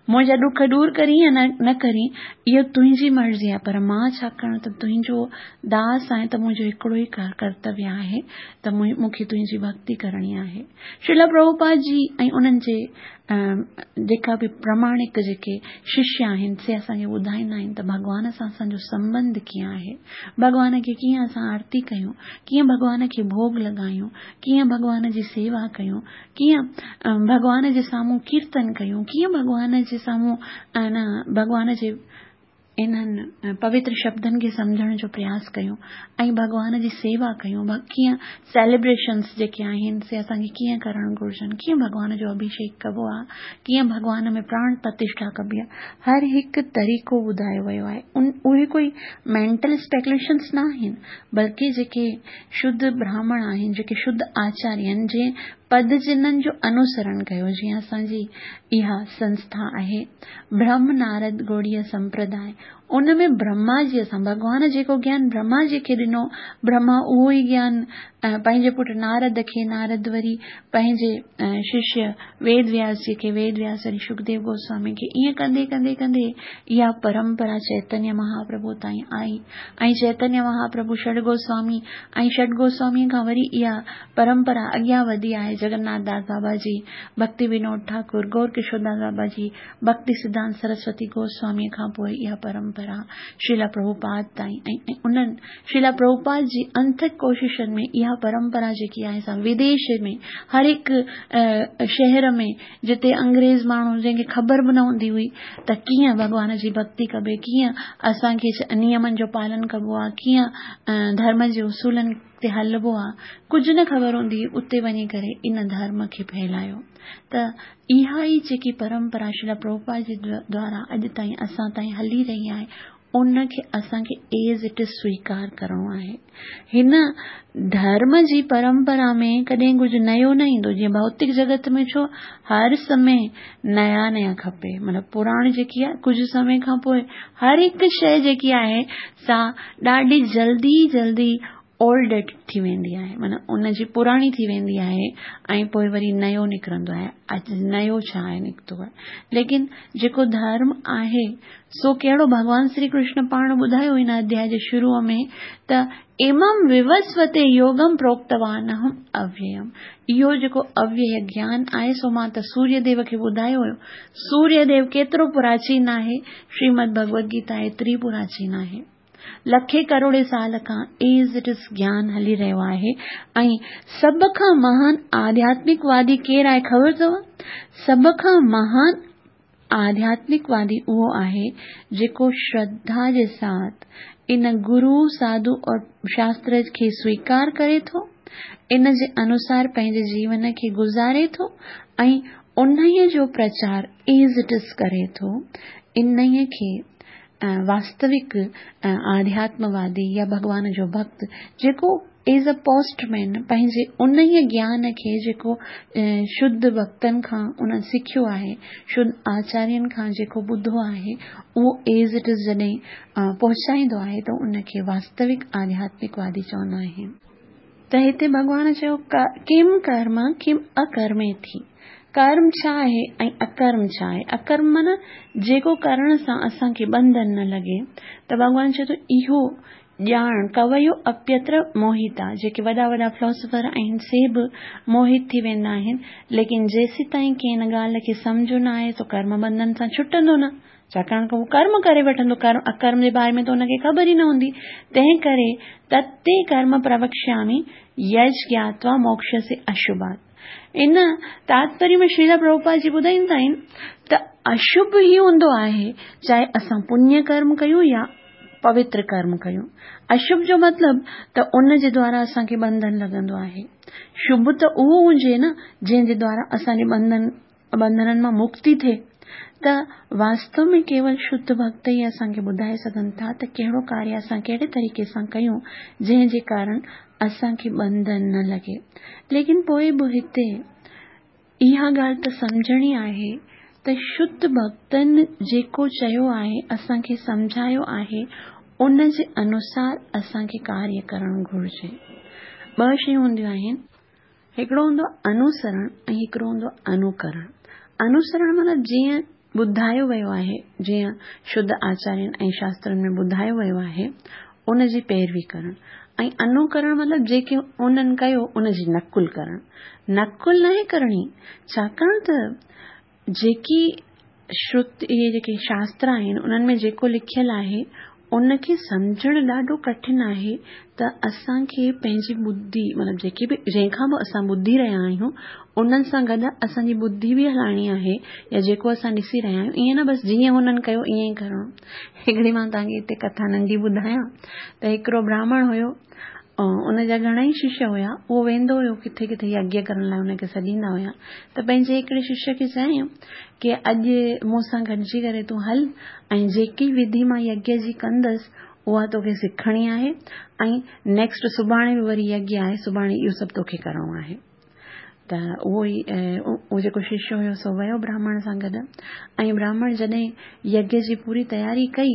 A: منهنجا ڏک ڏور ڪرين يا نه ڪرين اهو تنهنجي مرضي آهي پر مان ڇاڪاڻ ته تنهنجو داس آهيان ته منهنجو هڪڙو ئي ڪرتويه آهي ته مون کي تنهنجي ڀڳتي ڪرڻي آهي. شريلا پرڀوپاد جي ۽ انهن جي جيڪا به پراماڻڪ جيڪي ششيه آهن سي اسان کي ٻڌائيندا آهن ته ڀڳوان سان اسان جو سنٻنڌ ڪيئن آهي، ڀڳوان کي ڪيئن اسان آرتي ڪيون، ڪيئن ڀڳوان کي ڀوڳ لڳايون، ڪيئن ڀڳوان جي سيوا ڪيون، ڪيئن ڀڳوان جي سامهون ڪيرتن ڪيون، ڪيئن ڀڳوان جي سامهون ڀڳوان جي انهن پوتر شبدن کي سمجهڻ جو پرياس ڪيون ۽ ڀڳوان جي سيوا ڪيون ڪيئن سيليبريشنس جيڪي آهن سي اسان کي ڪيئن ڪرڻ گهرجن ڪيئن ڀڳوان جو اڀيشيڪ ڪبو آهي ڪيئن ڀڳوان ۾ پراڻ پرتشٺا ڪبي آهي هر هڪ طريقو ٻڌايو ويو آهي ان اهي ڪوئي مينٽل اسپيڪوليشنس نه آهن بلڪه جيڪي شڌ براهمڻ آهن جيڪي شڌ آچاريه آهن جنهن پد چنهن جو انوسرڻ ڪيو جيئن اسان جي اها سنسٿا آهي برهم نارد گوڙيه سمپرداء ان ۾ برهما جي اسان ڀڳوان جيڪو گيان برهما جي کي ڏنو برهما اهو ئي گيان پنهنجي پٽ نارد کي نارد وري پنهنجي ششيه ويد وياس جي کي ويد وياس وري شڪديو گوسوامي کي ائين ڪندي ڪندي ڪندي اها پرمپرا چيتنيه مهاپرڀو تائين آئي ۽ چيتنيه مهاپرڀو شڙ گوسوامي ۽ شڙ گوسوامي کان وري اها پرمپرا اڳيان وڌي آهي جگناٿ داس بابا جي ڀڪتي ونود ٺاڪر گور ڪشور داس بابا جي ڀڪتي سڌانت سرسوتي گوسواميء کان پوء اها پرمپرا شريلا پرڀوپاد تائين ۽ انهن شريلا پرڀوپاد جي انٿڪ ڪوششن ۾ اها پرمپرا جيڪي آهي سا وديش ۾ هر هڪ شهر ۾ جتي انگريز ماڻهو جنهن کي خبر به نه هوندي هئي ته ڪيئن ڀڳوان جي ڀڪتي ڪبي ڪيئن اسان کي نيمن جو پالن ڪبو آهي ڪيئن ڌرم جي اصولن تي هلبو آهي ڪجهه نه خبر هوندي هئي اتي وڃي ڪري ان ڌرم کي ڦهلايو ته اها ئي جيڪي پرمپرا شريلا پرڀوپاد جي دوارا اڄ تائين اسان تائين هلي رهي آهي ان کي اسان کي ايز it از سويڪار ڪرڻو آهي. هن ڌرم جي پرمپرا ۾ ڪڏهن ڪجهه نيو نه ايندو جيئن ڀوتڪ جڳت ۾ ڇو هر سمي نيا نيا کپي مطلب پراڻي جيڪي آهي ڪجهه سمي کان پوء هر هڪ شيء جيڪي آهي سا ڏاڍي جلدي جلدي اولڊ ڊيٽ ٿي ويندي آهي معنيٰ ان جي پراڻي ٿي ويندي آهي ۽ پوء وري نيو نڪرندو آهي اڄ نيو ڇا آهي نڪتو آهي ليڪن جيڪو ڌرم آهي سو ڪهڙو ڀڳوان شري ڪرشن پاڻ ٻڌايو هن اڌياء جي شروع ۾ ته امم ووسوتي يوگم پروڪتوان اهم اويم اهو جيڪو اويي گيان آهي سو مان ته سوريه ديو کي ٻڌايو هيو سوريه ديو ڪيترو پراچين آهي شريمد ڀڳوت گيتا ايتري پراچين آهي لکين ڪروڙين سال کان ايز it از گيان هلي رهيو آهي ۽ سڀ کان مهان آڌياتمڪ وادي ڪير آهي خبر اٿو؟ سڀ کان مهان آڌياتمڪ وادي اهو آهي جيڪو شرڌا جي ساٿ ان گرو ساڌو اور شاستر کي سويڪار ڪري ٿو ان جي انوسار پنهنجي جيون کي گذاري ٿو ۽ انهيء جو پرچار ايز it از ڪري ٿو انهيء کي واستوڪ آڌياتم وادي يا ڀڳوان جو ڀڳت جيڪو ايز اي پوسٽ مين پنهنجي انهيء گيان کي جيڪو شڌ ڀڳتن کان انهن سکيو آهي شڌ آچارين کان جيڪو ٻڌو آهي اهو ايز it از جڏهن پهچائيندو آهي ته ان کي واستوڪ آڌياتمڪ وادي چوندا آهن. ته هتي ڀڳوان چيو ڪم ڪرم ڪم اڪرميتي ڪرم ڇا آهي ۽ اڪرم ڇا آهي اڪرم معنيٰ جيڪو ڪرڻ سان اسان کي ٻنڌن نه لڳي ته ڀڳوان چئي ٿو اهو ڄاڻ ڪويو اپيتر موهتا جيڪي وڏا وڏا فلاسفر آهن سي به موهت ٿي ويندا آهن ليڪن جيسيتائين ڪنهن ان ڳالهه کي سمجهيو نه آهي سو ڪرم ٻنڌن سان ڇٽندو نه ڇاڪاڻ ته هو ڪرم ڪري وٺندو، ڪرم اڪرم جي باري ۾ ته ان کي خبر ئي نه هوندي، تنهن ڪري تتي ڪرم پروڪشيامي يج گياتوا موڪشسي اشڀات. ان تاتپريه ۾ شريلا پرڀوپاد جي ٻڌائيندا آهن ته اشڀ ئي هوندو آهي چاهي اسان پڃ ڪرم ڪيون يا پوتر ڪرم ڪيون. اشڀ جو مطلب ته ان جي دوارا اسان کي ٻنڌن لڳندو آهي. شڀ ته اهو هجي نه جنهن جي دوارا اسان جي ٻنڌن ٻنڌنن مان مڪتي ٿئي ته واستو ۾ ڪيول شڌ ڀڳت ئي اسان کي ٻڌائي سگهن ٿا ته ڪهڙو ڪاريه اسان ڪهڙي طريقي سان ڪيون جنهن جي ڪارڻ اسان کي ٻنڌن نه لڳي. ليڪن پوء به هتي اها ڳالهه ته سمجهڻي آهي ته شڌ ڀڳتن جيڪو چيو آهي اسان کي سمجهايو آهي ان جي انوسار اسان کي ڪاريه ڪرڻ گهرجي. ٻه شيون هونديون آهن. هڪڙو هوندو آهي انوسرڻ ۽ هڪڙو هوندو آهي انوڪرڻ. انوسرڻ معنيٰ جيئن ٻڌايو ويو آهي، جيئن شڌ آچارين ۽ شاسترن ۾ ٻڌايو ويو آهي، ان جي پيروي ڪرڻ ۽ انوڪرڻ مطلب جيڪي انهن ڪيو ان جي نقل ڪرڻ. نقل ناهي ڪرڻي، ڇاڪاڻ ته جيڪي شرت اهي جيڪي شاستر آهن انهن ۾ جيڪو لکيل آهي ان کي سمجهڻ ڏاڍو ڪٺن آهي ته اسان کي پنهنجي ٻڌي مطلب جيڪي به جنهن کان به اسان ٻڌي رهيا آهيون انهن سان گڏ اسان جي ٻڌي به هلائڻي آهي يا جيڪو اسان ڏسي رهيا آهيون ائين نه بس جيئن هنن ڪيو ائين ئي ڪرڻو هڪڙي مان توهان کي هتي ڪٿا ننڍي ٻڌايان ته هڪڙو براهمڻ هيو ان جا گهڻا ئي ششيه هيا اهو ويندو هيو ڪٿي ڪٿي يگيه ڪرڻ لاء ان کي سڏيندا هيا ته پنهنجي هڪڙي ششيه کي چيائين ڪي اڄ مون سان گڏجي ڪري تون هل ۽ جيڪي وڌي مان يگيه جي ڪندس اها توکي سکڻي آهي ۽ نيڪسٽ سڀاڻي به وري يگيه آهي سڀاڻي اهو سڀ توکي ڪرڻو آهي. ته اهو ئي اهو جيڪو ششيه هيو سو ويو براهمڻ سان گڏ ۽ براهمڻ جڏهن يگيه جي پوري تياري ڪئي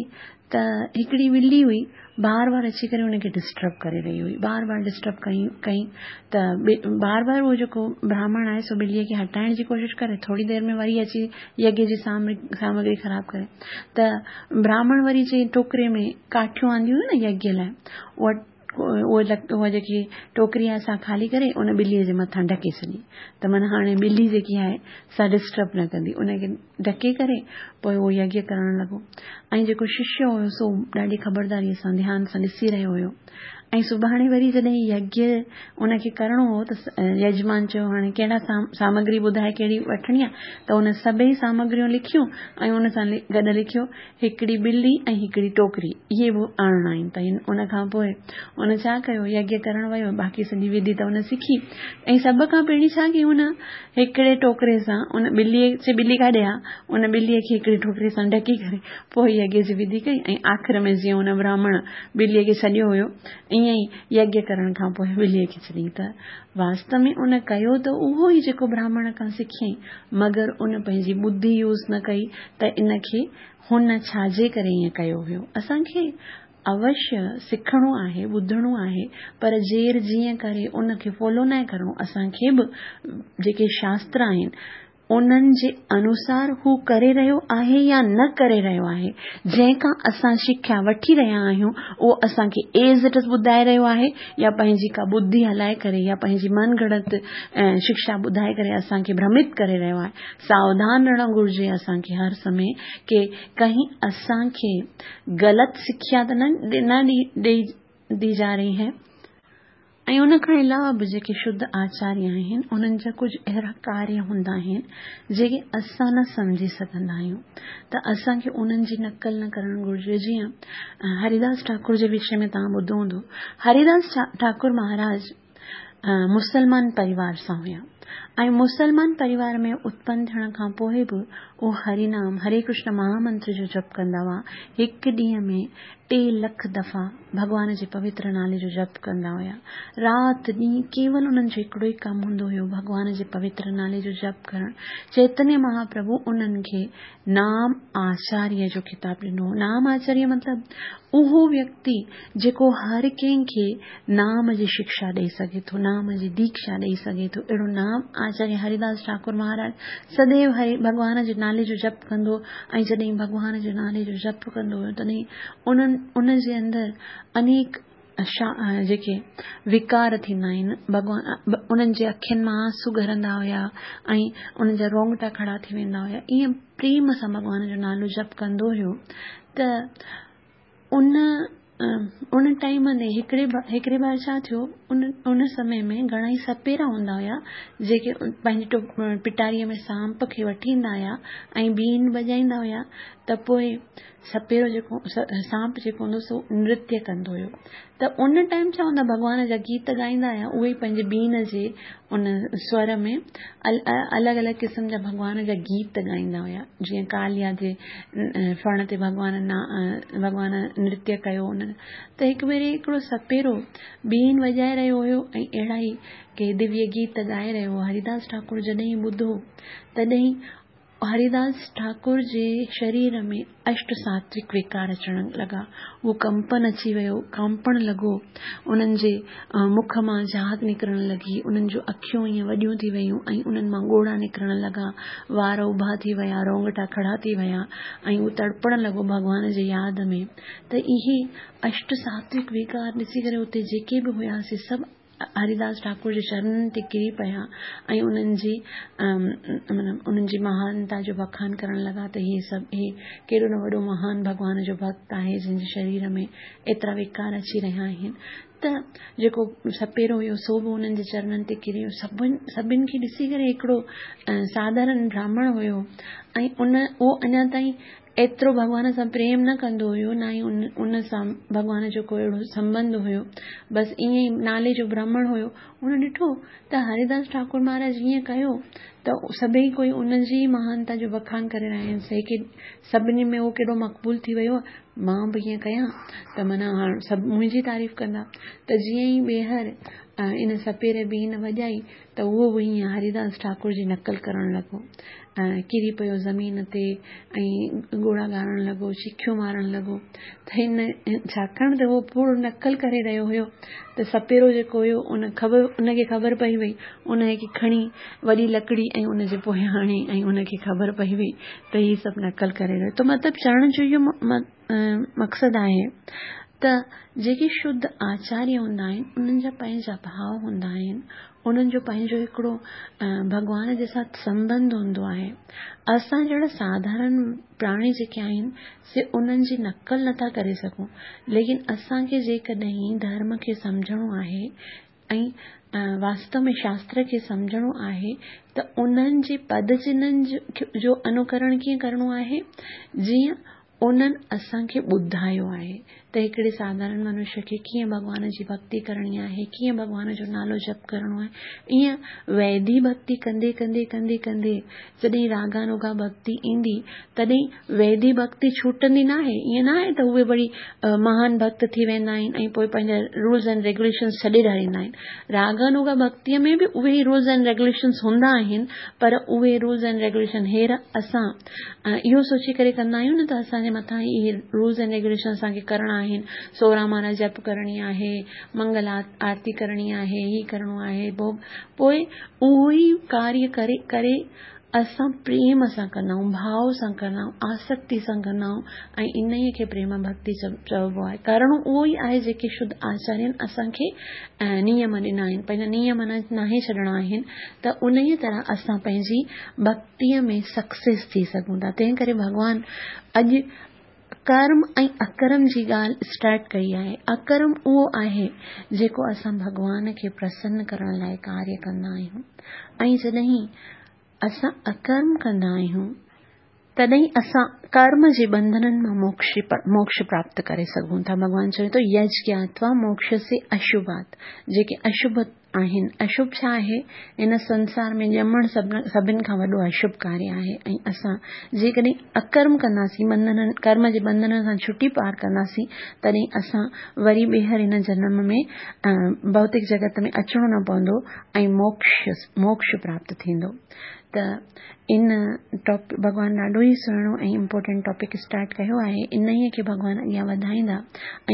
A: ته هڪڙي ٻلي هئي بار بار اچي ڪري ان کي ڊسٽرب ڪري رهي هئي بار بار ڊسٽرب ڪئي ڪئي ته بار بار اهو جيڪو براهمڻ آهي سو ٻلي کي هٽائڻ جي ڪوشش ڪري ٿوري دير ۾ وري اچي يگيه جي سامگري خراب ڪري ته براهمڻ وري چئي ٽوڪري ۾ ڪاٺيون آنديون هيون نه يگيه لاء اها اها جيڪي ٽوڪري آهي سا خالي ڪري ان ٻليء جي مٿان ڍڪي ڇڏي ته معنيٰ هاڻي ٻلي جيڪي آهي سا ڊسٽرب نه ڪندي ان کي ڍڪي ڪري پوء اهو يگيه ڪرڻ لڳو ۽ جيڪو ششيه هيو سو ڏاڍي خبرداريء سان ڌيان سان ڏسي رهيو هيو ۽ سڀاڻي وري جڏهن يگيه ان کي ڪرڻو هو ته يجمان چيو هاڻي ڪهڙا سامگري ٻڌائي ڪهڙي وٺڻي آهي ته ان سڀئي سامگريون لکيون ۽ ان سان گڏ لکيو هڪڙي ٻلي ۽ هڪڙي ٽوڪري اهي به آڻڻا آهن ته ان کان پوء ان ڇا ڪيو يگيه ڪرڻ ويو باقي سڄي وڌي ته ان سکي ۽ سڀ کان پهرين ڇا ڪيو ان هڪڙي ٽوڪري سان ان ٻلي چي ٻلي ڪاڏي آ ان ٻلي کي هڪڙي ٽوڪري سان ڍڪي ڪري پوء يگيه جي وڌي ڪئي ۽ آخر ۾ جيئن ان براهمڻ ٻلي کي ڇڏيو هيو ائين ئي يگيه ڪرڻ کان پوء ٻلي کي ڇڏيائين ته واستو ۾ ان ڪيو ته اهو ئي جيڪو براهمڻ کان سکيائين مگر ان پنهنجي ٻڌي يوز نه ڪئي ته ان کي هن ڇا جي ڪري ائين ڪيو هيو. اسان کي اوشيه سکڻو آهي، ٻڌڻو آهي پر جير جيئن ڪري ان کي فالو ناهي ڪرڻو. اسان کي به جيڪي شاستر آهن انهن جي انوسار هو ڪري رهيو آهي يا نه ڪري رهيو آهي، جنهن کان اسان شکيا وٺي رهيا آهيون اهو اسان کي ايز it is ٻڌائي رهيو آهي يا پنهنجي ڪا ٻڌي هلائي ڪري يا پنهنجي من گهڙت شکشا ٻڌائي ڪري اسان کي ڀرمت ڪري رهيو آهي. ساوڌان رهڻ گهرجي اسان کي هر سمي ڪي ڪهين اسان کي غلط سکيا ته نه ڏئي the جا رهي هي. ۽ ان کان علاوه به جيڪي شڌ آچاريه آهن انهن جا ڪجهه اهڙا ڪاريه هوندا آهن جيڪي اسان نه سمجهي سگهندا آهيون ته اسان کي انهن جي نقل نه ڪرڻ گهرجي جيئن هريداس ٺاڪر جي وشي ۾ توهان ٻڌو هوندو هريداس ٺاڪر مهاراج مسلمان پريوار سان هيا ۽ مسلمان پريوار ۾ اتپن ٿيڻ کان پوء به اهو هري نام هري ڪرشن مهامنتر جو جپ ڪندا هئا هڪ ڏينهن ۾ ٽي لک دفعا ڀڳوان جي پوتر نالي جو جپ ڪندا هيا. رات ڏينهن ڪيول انهن جو هڪڙو ئي ڪم هوندو هيو ڀڳوان جي پوتر نالي جو جپ ڪرڻ. چيتنيه مهاپرڀو انهن کي نام آچاريه جو خطاب ڏنو هو. نام آچاريه مطلب اهو ويڪتي جيڪو هر ڪنهن کي نام جي شکشا ڏئي سگهي ٿو، نام جي ديکشا ڏئي سگهي ٿو. اهڙو نام آچاريه هريداس ٺاڪر مهاراج سديو هري ڀڳوان جي نالي جو جپ ڪندو ۽ جڏهن ڀڳوان جي نالي جو جپ ڪندو هيو تڏهن انهن ان جي اندر انيڪ جيڪي وڪار ٿيندا آهن ڀڳوان انهن جي اکين مان آنسو ڳرندا هيا ۽ انهن جا رونگٽا کڙا ٿي ويندا هيا ائين پريم سان ڀڳوان جو نالو جپ ڪندو هيو ته ان ان ٽائيم تي هڪڙي هڪڙي بار ڇا ٿيو ان ان سمي ۾ گهڻا ئي سپيرا هوندا هيا جيڪي پنهنجي پٽاريء ۾ سانپ کي وٺي ايندا هيا ۽ بين وڄائيندا هيا ته پوء سپيرو جيڪو سانپ جيڪو هوندو سو نرتيه ڪندو هيو ته ان ٽائيم ڇا هوندا ڀڳوان جا گيت ڳائيندا هيا اهي ئي پنهنجي بين جي ان سور ۾ الڳ الڳ قسم جا ڀڳوان جا گيت ڳائيندا هيا جيئن ڪاليا جي ڦڻ تي ڀڳوان ڀڳوان نرتيه ڪيو ان ته هڪ ڀيري هڪڙو سپيرو بين وڄائي رهيو هيو ۽ اهڙا ئي ڪي دويه گيت ڳائي رهيو هو هريداس ٺاڪر جڏهن ٻڌو تڏهن هريداس ٺاڪر جي شرير ۾ اشٽ ساتوڪ وڪار اچڻ لڳا. اهو ڪمپن اچي ويو، ڪانپڻ لڳو. انهن جي مک مان جهاگ نڪرڻ لڳي، انهن جون اکيون ائين وڏيون ٿي ويون ۽ انهن مان ڳوڙها نڪرڻ لڳا، وار اڀا ٿي ويا، رونگٽا کڙا ٿي ويا ۽ هو تڙپڻ لڳو ڀڳوان جي ياد ۾ ته اهي اشٽ ساتوڪ وڪار ڏسي ڪري اتي جيڪي به هيا سي سڀ هريداس ٺاڪر جي چرنن تي ڪري پيا ۽ انهن جي مطلب انهن جي مهانتا جو بکان ڪرڻ لڳا ته هي سڀ هي ڪيڏو نه وڏو مهان ڀڳوان جو ڀڳت آهي جنهن جي شرير ۾ ايترا وڪار اچي رهيا آهن ته جيڪو سپيرو هيو سو به انهن جي چرنن تي ڪري ويو سڀن سڀن کي ڏسي ڪري هڪڙو ساڌارڻ براهمڻ هيو ۽ ان اهو اڃا تائين ايترو ڀڳوان سان پريم نه ڪندو هيو نه ئي ان سان ڀڳوان جو ڪو اهڙو سنٻنڌ هيو بس ائين ئي نالي جو برهمڻ هيو ان ڏٺو ته هريداس ٺاڪر مهاراج ائين ڪيو ته سڀئي ڪوئي ان جي ئي مهانتا جو بکان ڪري رهيا آهن سي ڪي سڀني ۾ اهو ڪيڏو مقبول ٿي ويو مان به ائين ڪيان ته معنيٰ هاڻ سڀ منهنجي تعريف ڪندا ته جيئن ئي ٻيهر ان سپيري بين وڄائي ته اهو به ائين هريداس ٺاڪر جي نقل ڪرڻ لڳو. ڪري پيو زمين تي ۽ ڳوڙها ڳاڙڻ لڳو، چيخيون مارڻ لڳو ته هن ڇاڪاڻ ته اهو پورو نقل ڪري رهيو هيو ته سپيرو جيڪو هيو ان خبر ان کي خبر پئي وئي ان کي کڻي وڏي لڪڙي ۽ ان جي پويان هڻي ۽ ان کي خبر پئي وئي ته هي سڀ نقل ڪري رهيو ته مطلب چوڻ جو اهو مقصد آهي ته جيڪي شڌ آچاريه هوندا آهن انهن جا پنهنجا ڀاو هوندا آهن انهن جو پنهنجو هڪڙو ڀڳوان جي ساٿ سنٻنڌ هوندو آهي اسان جهڙا ساڌارڻ پراڻي جيڪي آهن سي انهن جي نقل نٿا ڪري سگهون ليڪن اسان کي جيڪڏهن ڌرم کي سمجهڻو آهي ۽ واستو ۾ شاستر کي سمجهڻو آهي ته انهن جي پد چنهن جو انوڪرڻ ڪيئن ڪرڻو آهي جيئن انهن اسان کي ٻڌايو آهي ته هڪڙي ساڌارڻ منشيه کي ڪيئن ڀڳوان جي ڀڳتي ڪرڻي آهي، ڪيئن ڀڳوان جو نالو جپ ڪرڻو آهي. ائين ويڌي ڀڳتي ڪندي ڪندي ڪندي ڪندي جڏهن راڳانوگا ڀڳتي ايندي تڏهن ويڌي ڀڳتي ڇٽندي ناهي. ائين ناهي ته اهي وري مهان ڀڳت ٿي ويندا آهن ۽ پوء پنهنجا رولز اينڊ ريگوليشنز ڇڏي ڏياريندا آهن. راڳانوگا ڀڳتيء ۾ به اهي ئي رولز اينڊ ريگوليشنز هوندا آهن پر اهي رولز اينڊ ريگوليشن هير اسان اهو سوچي ڪري ڪندا آهيون نه ته اسان جي مٿان اهي رولز اينڊ ريگوليشن اسان کي ڪرڻا آهن، سورهن مالا جپ ڪرڻي آهي، منگل آرتي ڪرڻي آهي، هي ڪرڻو آهي، ڀوڳ پوء اهو ئي ڪاريه ڪري ڪري اسان پريم سان ڪندا آهيون، ڀاو سان ڪندا آهيون، آسڪتي سان ڪندا آهيون ۽ انهيء کي پريم ڀڳتي چئبو آهي. ڪرڻو اهو ئي آهي جيڪي شڌ آچارين اسان کي نيم ڏنا آهن، پنهنجا نيم ناهي ڇڏڻا آهن ته انهيء طرح اسان پنهنجي ڀڳتي ڀڳتيء ۾ سڪسيس ٿي سگهون ٿا. تنهن ڪري ڀڳوان اڄ ڪرم ۽ اڪرم جي ڳالهه اسٽارٽ ڪئي آهي. اڪرم اهو آهي جيڪو اسان ڀڳوان کي پرسن ڪرڻ لاء ڪاريه ڪندا آهيون ۽ جڏهن اسان اڪرم ڪندا آهيون تڏهن اسان ڪرم جي ٻنڌنن مان موڪش پراپت ڪري سگهون ٿا. ڀڳوان چوي ٿو يج گياتوا موڪشسي اشڀات جيڪي اشڀ آهن. اشڀ ڇا آهي؟ هن سنسار ۾ ڄمڻ سڀن کان وڏو اشڀ ڪاريه آهي ۽ اسان جيڪڏهن اڪرم ڪنداسين، ٻنڌنن، ڪرم جي ٻنڌنن کان ڇٽي پار ڪنداسين، تڏهن اسان وري ٻيهر هن جنم ۾ ڀوتڪ جڳت ۾ اچڻو نه پوندو ۽ موڪش، موڪش پراپت ٿيندو. ته ان ٽاپڪ ڀڳوان ڏاڍو ئي سهڻو ۽ امپورٽنٽ ٽاپڪ اسٽارٽ ڪيو آهي انهيء کي ڀڳوان اڳيان وڌائيندا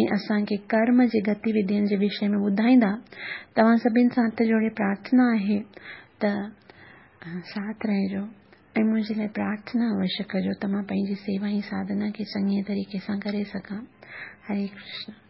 A: ۽ اسان کي ڪرم جي گتي وڌين جي وشي ۾ ٻڌائيندا توهان سڀن سان هٿ جوڙي پرارٿنا آهي ته ساٿ رهجو ۽ منهنجي لاء پرارٿنا اوشيه ڪجو ته مان پنهنجي سيوا ۽ ساڌنا کي چڱي طريقي سان ڪري سگهان هري ڪرشن.